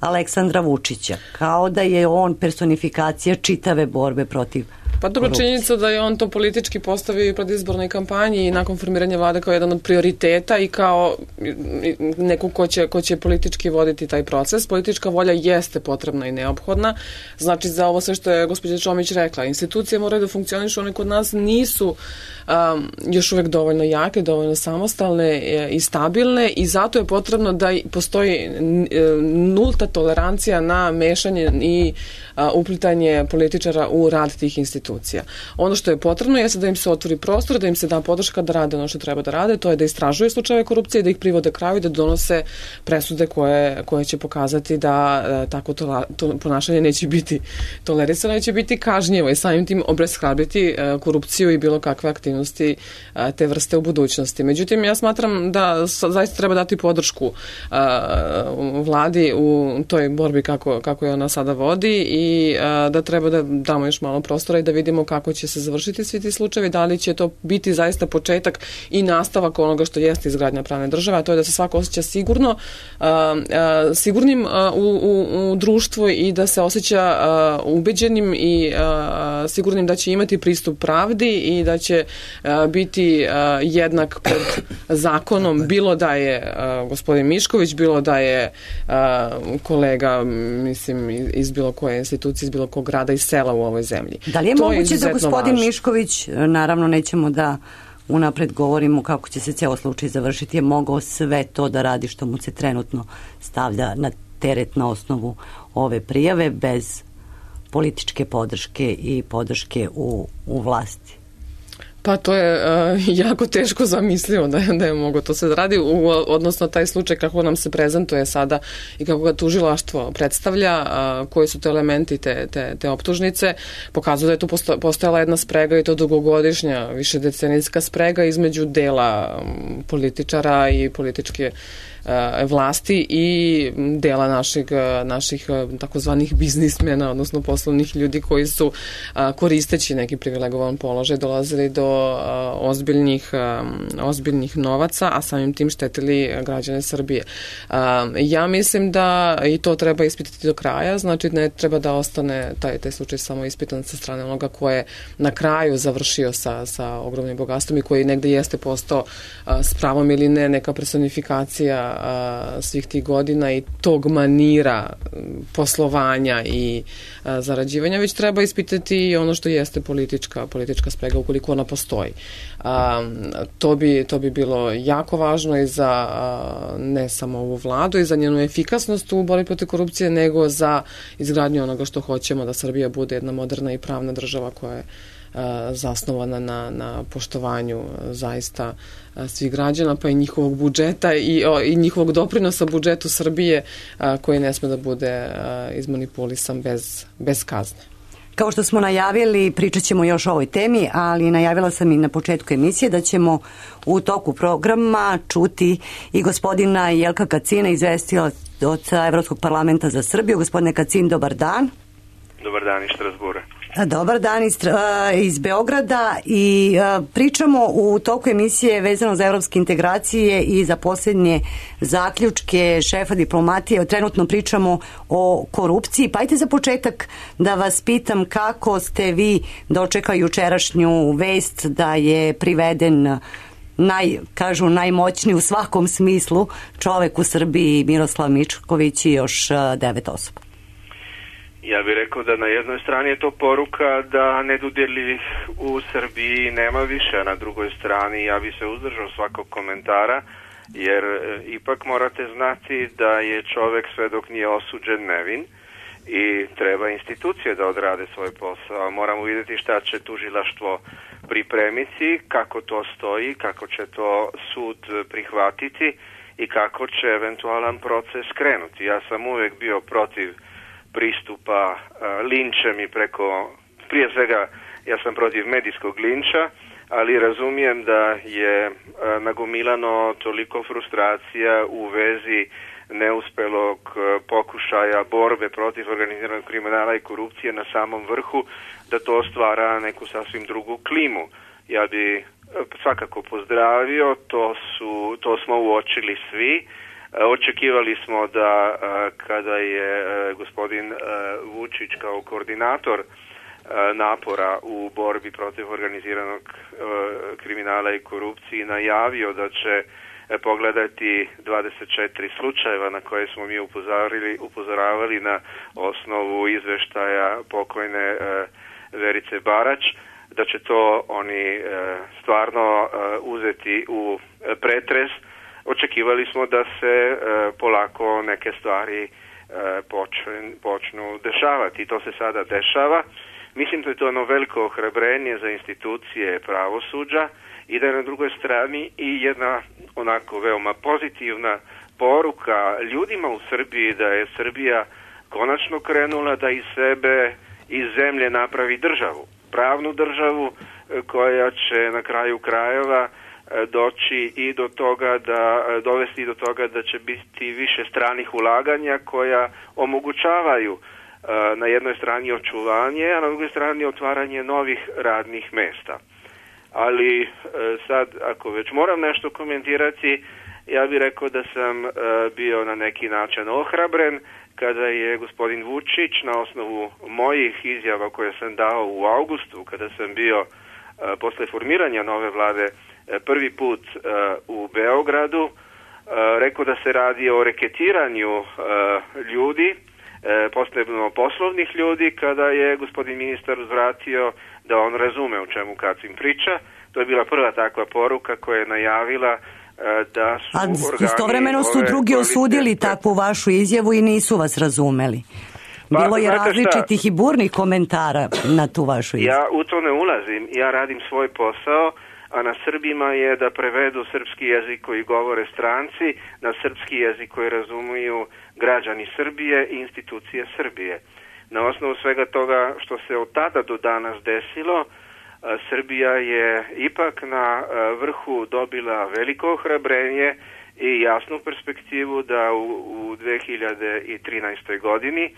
Aleksandra Vučića, kao da je on personifikacija čitave borbe protiv Pa dobro, činjenica da je on to politički postavio i pred izbornoj kampanji i nakon formiranja vlade kao jedan od prioriteta i kao neko ko će, ko će politički voditi taj proces. Politička volja jeste potrebna i neophodna. Znači, za ovo sve što je gospođa Čomić rekla, institucije moraju da funkcionišu, one kod nas nisu um, još uvek dovoljno jake, dovoljno samostalne i stabilne i zato je potrebno da postoji nulta tolerancija na mešanje i a, uplitanje političara u rad tih institucija. Ono što je potrebno jeste da im se otvori prostor, da im se da podrška da rade ono što treba da rade, to je da istražuju slučajeve korupcije, da ih privode kraju i da donose presude koje, koje će pokazati da a, tako to, to ponašanje neće biti tolerisano, neće biti kažnjivo i samim tim obeshrabriti a, korupciju i bilo kakve aktivnosti a, te vrste u budućnosti. Međutim, ja smatram da zaista treba dati podršku a, vladi u toj borbi kako, kako je ona sada vodi i a, da treba da damo još malo prostora i da vidimo kako će se završiti svi ti slučajevi, da li će to biti zaista početak i nastavak onoga što jeste izgradnja pravne države, a to je da se svako osjeća sigurno, a, a, sigurnim a, u, u, u društvu i da se osjeća a, ubeđenim i a, sigurnim da će imati pristup pravdi i da će a, biti a, jednak pred zakonom, bilo da je a, gospodin Mišković, bilo da je a, kolega, mislim, iz bilo koje institucije, iz bilo kog grada i sela u ovoj zemlji. Da li je to moguće je da gospodin važno. Mišković, naravno nećemo da unapred govorimo kako će se ceo slučaj završiti, je mogao sve to da radi što mu se trenutno stavlja na teret na osnovu ove prijave bez političke podrške i podrške u, u vlasti? Pa to je uh, jako teško zamislivo da je, da je mogo to se da radi, u, odnosno taj slučaj kako nam se prezentuje sada i kako ga tužilaštvo predstavlja, uh, koji su to elementi te, te, te optužnice, pokazuje da je tu posto, postojala jedna sprega i to dugogodišnja, višedecenijska sprega između dela um, političara i političke vlasti i dela naših, naših takozvanih biznismena, odnosno poslovnih ljudi koji su koristeći neki privilegovan položaj dolazili do ozbiljnih, ozbiljnih novaca, a samim tim štetili građane Srbije. Ja mislim da i to treba ispitati do kraja, znači ne treba da ostane taj, taj slučaj samo ispitan sa strane onoga ko je na kraju završio sa, sa ogromnim bogatstvom i koji negde jeste postao s pravom ili ne neka personifikacija svih tih godina i tog manira poslovanja i zarađivanja, već treba ispitati i ono što jeste politička, politička sprega ukoliko ona postoji. To bi, to bi bilo jako važno i za ne samo ovu vladu i za njenu efikasnost u borbi protiv korupcije, nego za izgradnju onoga što hoćemo, da Srbija bude jedna moderna i pravna država koja je zasnovana na, na poštovanju zaista svih građana, pa i njihovog budžeta i, o, i njihovog doprinosa budžetu Srbije, a, koji ne sme da bude a, izmanipulisan bez, bez kazne. Kao što smo najavili, pričat ćemo još o ovoj temi, ali najavila sam i na početku emisije da ćemo u toku programa čuti i gospodina Jelka Kacina, izvestioca Evropskog parlamenta za Srbiju. Gospodine Kacin, dobar dan. Dobar dan iz Strasbura. Dobar dan iz, iz Beograda i pričamo u toku emisije vezano za evropske integracije i za posljednje zaključke šefa diplomatije. Trenutno pričamo o korupciji. Pa ajte za početak da vas pitam kako ste vi dočekali jučerašnju vest da je priveden naj, kažu najmoćniji u svakom smislu čovek u Srbiji Miroslav Mišković i još devet osoba. Ja bih rekao da na jednoj strani je to poruka da nedodirljivih u Srbiji nema više, a na drugoj strani ja bih se uzdržao svakog komentara, jer ipak morate znati da je čovek sve dok nije osuđen nevin i treba institucije da odrade svoj posao. Moramo vidjeti šta će tužilaštvo pripremiti, kako to stoji, kako će to sud prihvatiti i kako će eventualan proces krenuti. Ja sam uvek bio protiv pristupa uh, linčem i preko, prije svega ja sam protiv medijskog linča, ali razumijem da je uh, nagomilano toliko frustracija u vezi neuspelog uh, pokušaja borbe protiv organiziranog kriminala i korupcije na samom vrhu, da to stvara neku sasvim drugu klimu. Ja bi uh, svakako pozdravio, to, su, to smo uočili svi. Očekivali smo da kada je gospodin Vučić kao koordinator napora u borbi protiv organiziranog kriminala i korupcije najavio da će pogledati dvadeset četiri slučajeva na koje smo mi upozorili, upozoravali na osnovu izveštaja pokojne Verice Barać, da će to oni stvarno uzeti u pretres. Očekivali smo da se polako neke stvari počnu dešavati i to se sada dešava. Mislim da je to ono veliko ohrabrenje za institucije pravosuđa i da je na drugoj strani i jedna onako veoma pozitivna poruka ljudima u Srbiji da je Srbija konačno krenula da iz sebe, iz zemlje napravi državu, pravnu državu koja će na kraju krajeva doći i do toga da dovesti do toga da će biti više stranih ulaganja koja omogućavaju na jednoj strani očuvanje, a na drugoj strani otvaranje novih radnih mesta. Ali sad, ako već moram nešto komentirati, ja bih rekao da sam bio na neki način ohrabren kada je gospodin Vučić na osnovu mojih izjava koje sam dao u avgustu, kada sam bio posle formiranja nove vlade prvi put u Beogradu, rekao da se radi o reketiranju ljudi, posebno poslovnih ljudi, kada je gospodin ministar uzvratio da on razume o čemu Kacin priča. To je bila prva takva poruka koja je najavila da su A organi... istovremeno su drugi osudili takvu vašu izjavu i nisu vas razumeli. Bilo je različitih i burnih komentara na tu vašu izjavu. Ja u to ne ulazim, ja radim svoj posao, a na Srbima je da prevedu srpski jezik koji govore stranci, na srpski jezik koji razumiju građani Srbije i institucije Srbije. Na osnovu svega toga što se od tada do danas desilo, Srbija je ipak na vrhu dobila veliko ohrabrenje i jasnu perspektivu da u, u dve hiljade trinaestoj. godini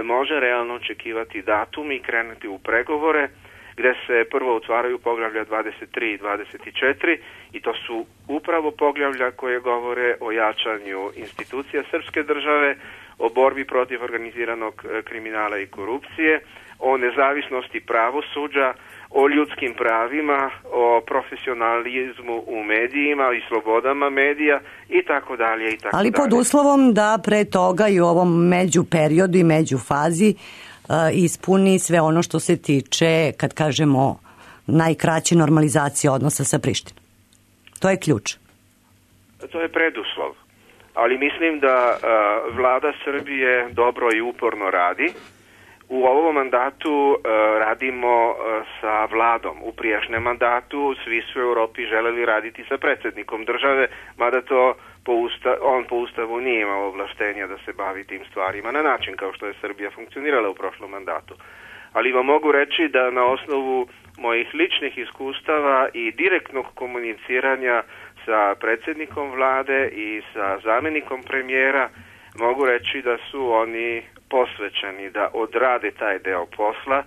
može realno očekivati datum i krenuti u pregovore gde se prvo otvaraju poglavlja dvadeset tri i dvadeset četiri i to su upravo poglavlja koje govore o jačanju institucija srpske države, o borbi protiv organiziranog kriminala i korupcije, o nezavisnosti pravosuđa, o ljudskim pravima, o profesionalizmu u medijima i slobodama medija i tako dalje i tako Ali pod dalje. uslovom da pre toga i u ovom međuperiodu i međufazi uh, ispuni sve ono što se tiče, kad kažemo, najkraće normalizacije odnosa sa Prištinom. To je ključ. To je preduslov. Ali mislim da uh, vlada Srbije dobro i uporno radi. U ovom mandatu uh, radimo uh, sa vladom. U prijašnjem mandatu svi su u Europi želeli raditi sa predsjednikom države, mada to po usta, on po ustavu nije imao ovlaštenja da se bavi tim stvarima na način kao što je Srbija funkcionirala u prošlom mandatu. Ali vam mogu reći da na osnovu mojih ličnih iskustava i direktnog komuniciranja sa predsjednikom vlade i sa zamjenikom premijera mogu reći da su oni posvećeni da odrade taj deo posla,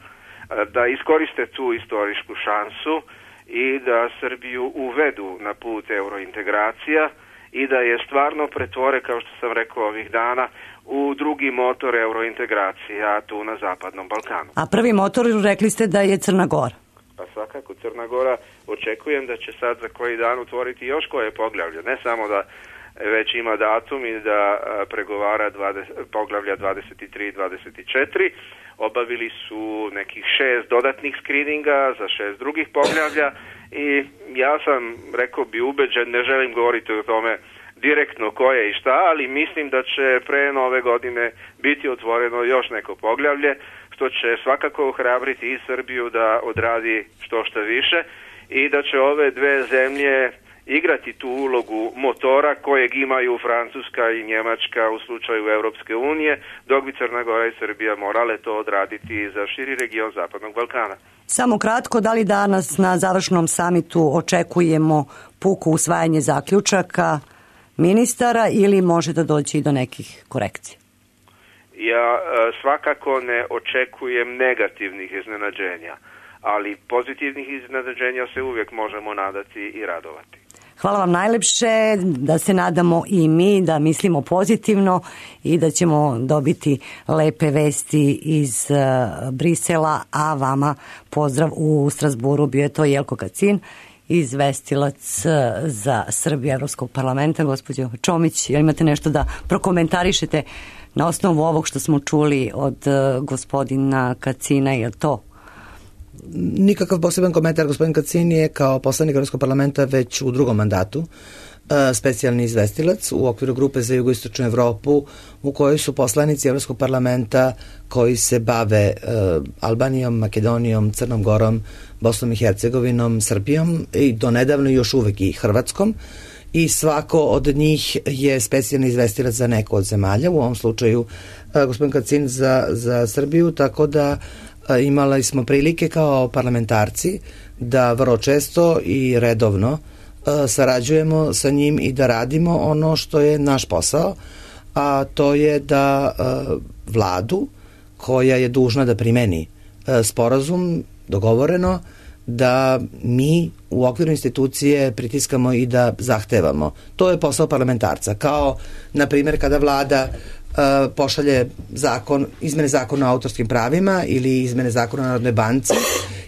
da iskoriste tu istorijsku šansu i da Srbiju uvedu na put eurointegracija i da je stvarno pretvore, kao što sam rekao ovih dana, u drugi motor eurointegracija tu na Zapadnom Balkanu. A prvi motor, rekli ste da je Crna Gora. Pa svakako Crna Gora, očekujem da će sad za koji dan otvoriti još koje poglavlje, ne samo da već ima datum i da pregovara dvadeset, poglavlja dvadeset tri i dvadeset četiri. Obavili su nekih šest dodatnih skrininga za šest drugih poglavlja i ja sam, rekao bi, ubeđen, ne želim govoriti o tome direktno ko je i šta, ali mislim da će pre nove godine biti otvoreno još neko poglavlje, što će svakako ohrabriti i Srbiju da odradi što što više i da će ove dve zemlje igrati tu ulogu motora kojeg imaju Francuska i Njemačka u slučaju Europske unije, dok bi Crna Gora i Srbija morale to odraditi za širi region Zapadnog Balkana. Samo kratko, da li danas na završnom samitu očekujemo puko usvajanje zaključaka ministara ili može da doći i do nekih korekcija? Ja svakako ne očekujem negativnih iznenađenja, ali pozitivnih iznenađenja se uvijek možemo nadati i radovati. Hvala vam najlepše, da se nadamo i mi, da mislimo pozitivno i da ćemo dobiti lepe vesti iz Brisela, a vama pozdrav u Strasburu. Bio je to Jelko Kacin, izvestilac za Srbiju Evropskog parlamenta. Gospođo Čomić, jel imate nešto da prokomentarišete na osnovu ovog što smo čuli od gospodina Kacina, je li to? Nikakav poseban komentar. Gospodin Kacin je kao poslanik Evropskog parlamenta već u drugom mandatu specijalni izvestilac u okviru grupe za jugoistočnu Evropu, u kojoj su poslanici Evropskog parlamenta koji se bave Albanijom, Makedonijom, Crnom Gorom, Bosnom i Hercegovinom, Srbijom i donedavno još uvek i Hrvatskom, i svako od njih je specijalni izvestilac za neko od zemalja, u ovom slučaju gospodin Kacin za, za Srbiju, tako da imali smo prilike kao parlamentarci da vrlo često i redovno sarađujemo sa njim i da radimo ono što je naš posao, a to je da vladu koja je dužna da primeni sporazum dogovoreno, da mi u okviru institucije pritiskamo i da zahtevamo. To je posao parlamentarca. Kao, na primjer, kada vlada uh, pošalje zakon, izmene zakona o autorskim pravima ili izmene zakona o Narodnoj banci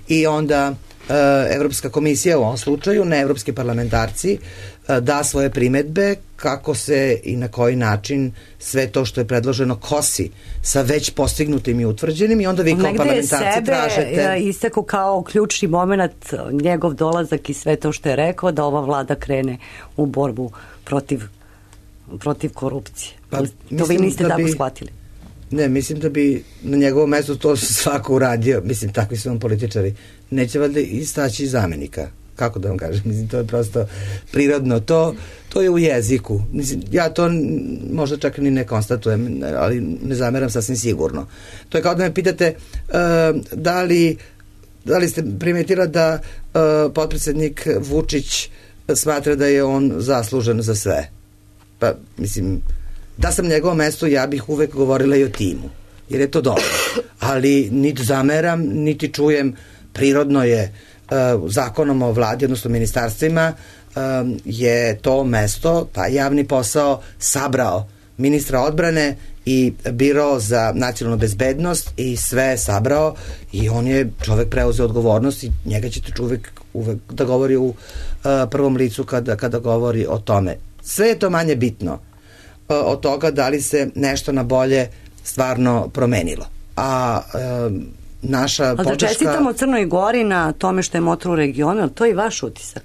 i onda uh, Evropska komisija, u ovom slučaju, ne evropski parlamentarci, uh, da svoje primedbe kako se i na koji način sve to što je predloženo kosi sa već postignutim i utvrđenim, i onda vi kao parlamentarci tražete... Negde je istako kao ključni moment njegov dolazak i sve to što je rekao, da ova vlada krene u borbu protiv, protiv korupcije. Pa, to vi niste da tako bi, shvatili? Ne, mislim da bi na njegovom mestu to svako uradio. Mislim, takvi su vam političari. Neće valjda istaći zamenika. Kako da vam kažem, mislim, to je prosto prirodno, to, to je u jeziku. Mislim, ja to možda čak ni ne konstatujem, ali ne zameram sasvim sigurno. To je kao da me pitate uh, da li da li ste primetila da uh, potpredsednik Vučić smatra da je on zaslužen za sve. Pa, mislim, da sam njegovo mesto, ja bih uvek govorila i o timu, jer je to dobro. Ali niti zameram, niti čujem, prirodno je zakonom o vladi, odnosno ministarstvima, je to mesto, pa javni posao, sabrao ministra odbrane i biro za nacionalnu bezbednost i sve sabrao, i on je čovek preuzeo odgovornost i njega ćete uvek, uvek da govori u prvom licu kada, kada govori o tome. Sve je to manje bitno od toga da li se nešto na bolje stvarno promenilo. A naša podrška... Ali da čestitamo Crnoj Gori na tome što je motor u regionu, ali to je i vaš utisak?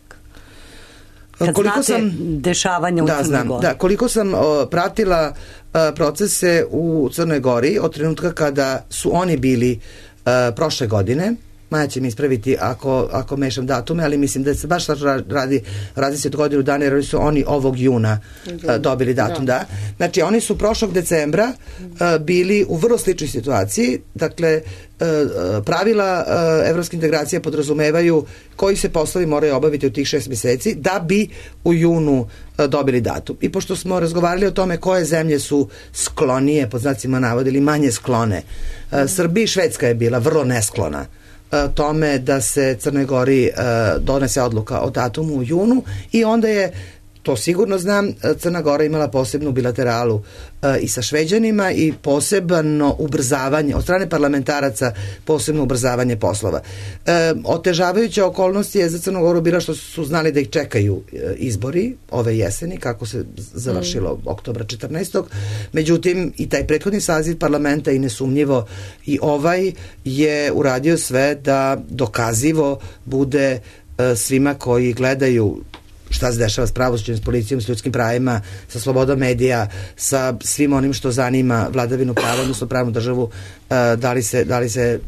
Kad koliko znate sam, dešavanja u da, Crnoj znam, Gori. Da, koliko sam o, pratila o, procese u Crnoj Gori od trenutka kada su oni bili o, prošle godine, Maja će mi ispraviti ako, ako mešam datume, ali mislim da se baš radi različit godinu dana, jer su oni ovog juna uh, dobili datum, da. da. Znači, oni su prošlog decembra uh, bili u vrlo sličnoj situaciji, dakle, uh, pravila uh, evropske integracije podrazumevaju koji se poslovi moraju obaviti u tih šest meseci da bi u junu uh, dobili datum. I pošto smo razgovarali o tome koje zemlje su sklonije, pod znacima navoda, ili manje sklone, uh, Srbija i Švedska je bila vrlo nesklona tome da se Crnoj Gori uh, donese odluka o datumu u junu, i onda je, to sigurno znam, Crna Gora imala posebnu bilateralu uh, i sa Šveđanima i posebno ubrzavanje od strane parlamentaraca, posebno ubrzavanje poslova. Uh, otežavajuća okolnost je za Crnu Goru bila što su znali da ih čekaju uh, izbori ove jeseni, kako se završilo mm. oktobra četrnaestog. Međutim, i taj prethodni saziv parlamenta, i nesumnjivo i ovaj, je uradio sve da dokazivo bude uh, svima koji gledaju šta se dešava s pravosuđem, s policijom, s ljudskim pravima, sa slobodom medija, sa svim onim što zanima vladavinu prava, odnosno pravnu državu, da li se, da li se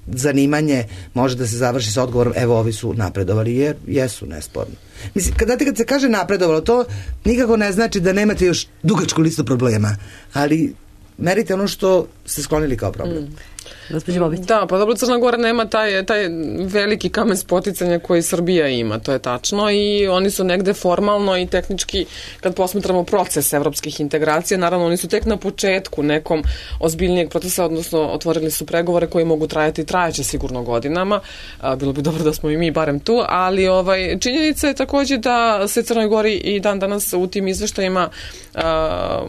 zanimanje može da se završi sa odgovorom evo ovi su napredovali, jer jesu, nesporno. Mislim, kad, kad se kaže napredovalo, to nikako ne znači da nemate još dugačku listu problema, ali merite ono što ste sklonili kao problem. Mm. Gospođo Bobić. Da, pa dobro, Crna Gora nema taj, taj veliki kamen spoticanja koji Srbija ima, to je tačno, i oni su negde formalno i tehnički, kad posmatramo proces evropskih integracija, naravno oni su tek na početku nekom ozbiljnijeg procesa, odnosno otvorili su pregovore koji mogu trajati i trajaće sigurno godinama. A, bilo bi dobro da smo i mi barem tu, ali ovaj, činjenica je takođe da se Crnoj Gori i dan danas u tim izveštajima a,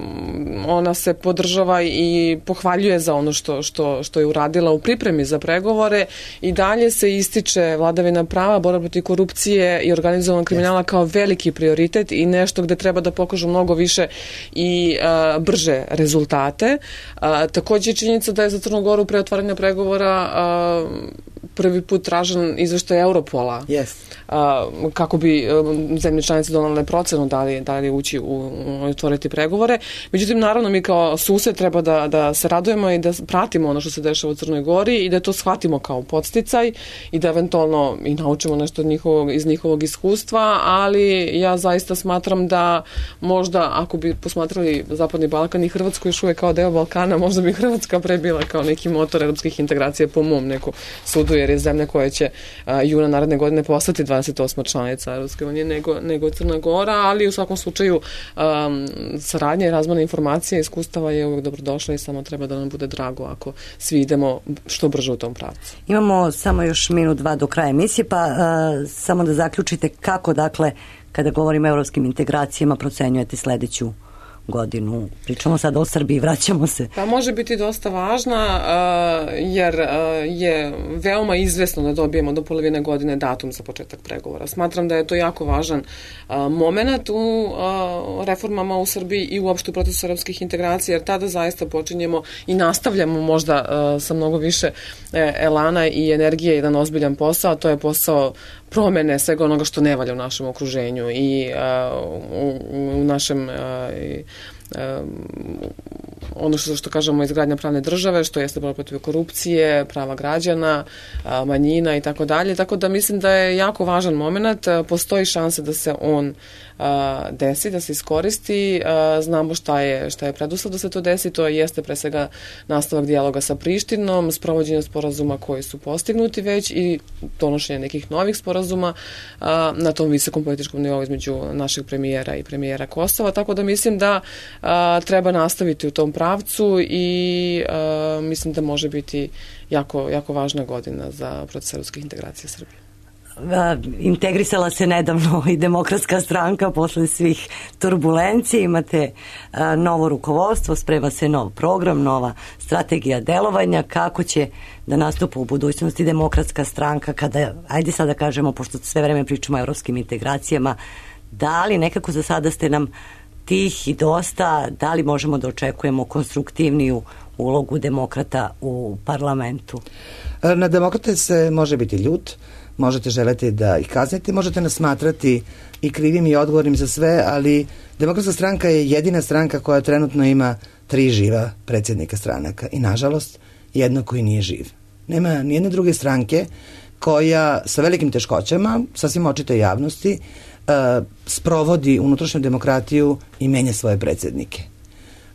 ona se podržava i pohvaljuje za ono što, što, što je uradila u pripremi za pregovore, i dalje se ističe vladavina prava, borba protiv korupcije i organizovanog kriminala kao veliki prioritet i nešto gde treba da pokažu mnogo više i a, brže rezultate. A, takođe je činjenica da je za Crnu Goru pre otvaranja pregovora a, prvi put tražen izveštaj Europola. Yes. A, kako bi um, zemlje članice donale procenu da li, da li ući u otvoriti pregovore. Međutim, naravno, mi kao sused treba da, da se radujemo i da pratimo ono što se dešava u Crnoj Gori i da to shvatimo kao podsticaj i da eventualno i naučimo nešto od njihovog, iz njihovog iskustva, ali ja zaista smatram da možda ako bi posmatrali Zapadni Balkan i Hrvatsku još uvijek kao deo Balkana, možda bi Hrvatska pre bila kao neki motor evropskih integracija po mom neku sudu, jer je zemlja koja će a, juna naredne godine postati dvadeset osma članica Evropske unije nego, nego Crna Gora, ali u svakom slučaju um, saradnja i razmena informacija i iskustava je uvijek dobrodošla i samo treba da nam bude drago ako svi idemo što brže u tom pravcu. Imamo samo još minut, dva do kraja emisije, pa uh, samo da zaključite kako, dakle, kada govorimo o evropskim integracijama, procenjujete sledeću godinu. Pričamo sad o Srbiji, vraćamo se. Pa može biti dosta važna uh, jer uh, je veoma izvesno da dobijemo do polovine godine datum za početak pregovora. Smatram da je to jako važan uh, moment u uh, reformama u Srbiji i uopšte u procesu evropskih integracija, jer tada zaista počinjemo i nastavljamo možda uh, sa mnogo više eh, elana i energije jedan ozbiljan posao, to je posao promene svega onoga što ne valja u našem okruženju i uh, u, u našem uh, i, um, ono što, što kažemo izgradnja pravne države, što jeste borba protiv korupcije, prava građana, uh, manjina i tako dalje. Tako da mislim da je jako važan moment, uh, postoji šanse da se on uh, desi, da se iskoristi. Uh, znamo šta je, šta je preduslov da se to desi, to jeste pre svega nastavak dijaloga sa Prištinom, sprovođenje sporazuma koji su postignuti već i donošenje nekih novih sporazuma uh, na tom visokom političkom nivou između našeg premijera i premijera Kosova, tako da mislim da uh, treba nastaviti u tom pravcu i uh, mislim da može biti jako, jako važna godina za proces evropskih integracija Srbije. Integrisala se nedavno i Demokratska stranka posle svih turbulencija, imate a, novo rukovodstvo, sprema se nov program, nova strategija delovanja, kako će da nastupa u budućnosti Demokratska stranka kada, ajde sada kažemo, pošto sve vreme pričamo o evropskim integracijama, da li nekako za sada ste nam tih i dosta, da li možemo da očekujemo konstruktivniju ulogu demokrata u parlamentu? Na demokrate se može biti ljut, možete želeti da ih kaznite, možete nas smatrati i krivim i odgovornim za sve, ali Demokratska stranka je jedina stranka koja trenutno ima tri živa predsjednika stranaka i nažalost jedno koji nije živ. Nema nijedne druge stranke koja sa velikim teškoćama, sasvim očite javnosti, uh, sprovodi unutrašnju demokratiju i menja svoje predsjednike.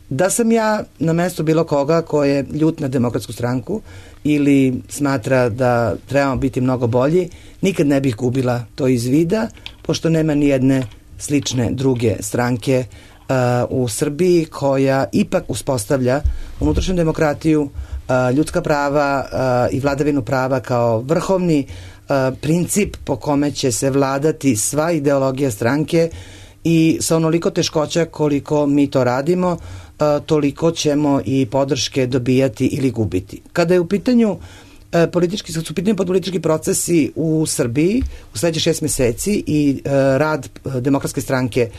Da sam ja na mestu bilo koga ko je ljut na Demokratsku stranku ili smatra da trebamo biti mnogo bolji, nikad ne bih gubila to iz vida, pošto nema ni jedne slične druge stranke uh, u Srbiji koja ipak uspostavlja unutrašnju demokratiju, uh, ljudska prava uh, i vladavinu prava kao vrhovni uh, princip po kome će se vladati sva ideologija stranke i sa onoliko teškoća koliko mi to radimo, toliko ćemo i podrške dobijati ili gubiti. Kada je u pitanju politički, kad su u pitanju politički procesi u Srbiji u sledećih šest meseci i rad Demokratske stranke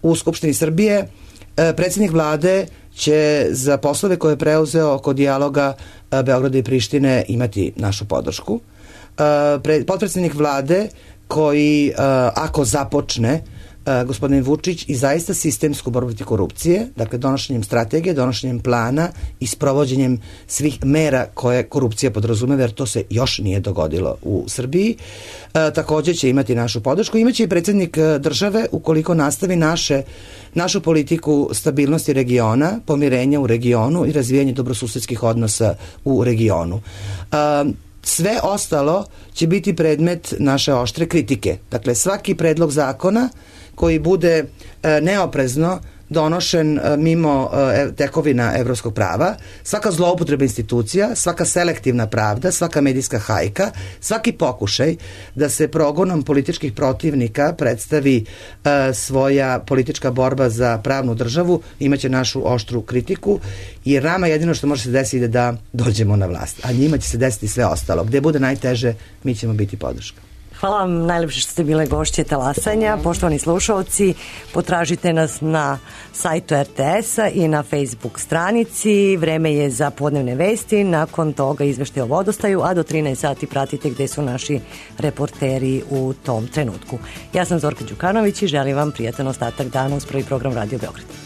u Skupštini Srbije, predsjednik vlade će za poslove koje je preuzeo oko dijaloga Beograda i Prištine imati našu podršku. Potpredsjednik vlade koji ako započne gospodin Vučić i zaista sistemsku borbu protiv korupcije, dakle donošenjem strategije, donošenjem plana i sprovođenjem svih mera koje korupcija podrazumeva, jer to se još nije dogodilo u Srbiji. E, također će imati našu podršku. Imaće i predsjednik države ukoliko nastavi naše, našu politiku stabilnosti regiona, pomirenja u regionu i razvijanje dobrosusedskih odnosa u regionu. E, sve ostalo će biti predmet naše oštre kritike. Dakle, svaki predlog zakona koji bude e, neoprezno donošen e, mimo e, tekovina evropskog prava, svaka zloupotreba institucija, svaka selektivna pravda, svaka medijska hajka, svaki pokušaj da se progonom političkih protivnika predstavi e, svoja politička borba za pravnu državu, imaće našu oštru kritiku, jer nama jedino što može se desiti je da dođemo na vlast, a njima će se desiti sve ostalo. Gde bude najteže, mi ćemo biti podrška. Hvala vam najlepše što ste bile gošće Talasanja. Poštovani slušalci, potražite nas na sajtu er te es-a i na Facebook stranici. Vreme je za podnevne vesti, nakon toga izveštaj o vodostaju, a do trinaest sati pratite gde su naši reporteri u tom trenutku. Ja sam Zorka Đukanović i želim vam prijatan ostatak dana uz prvi program Radio Beograd.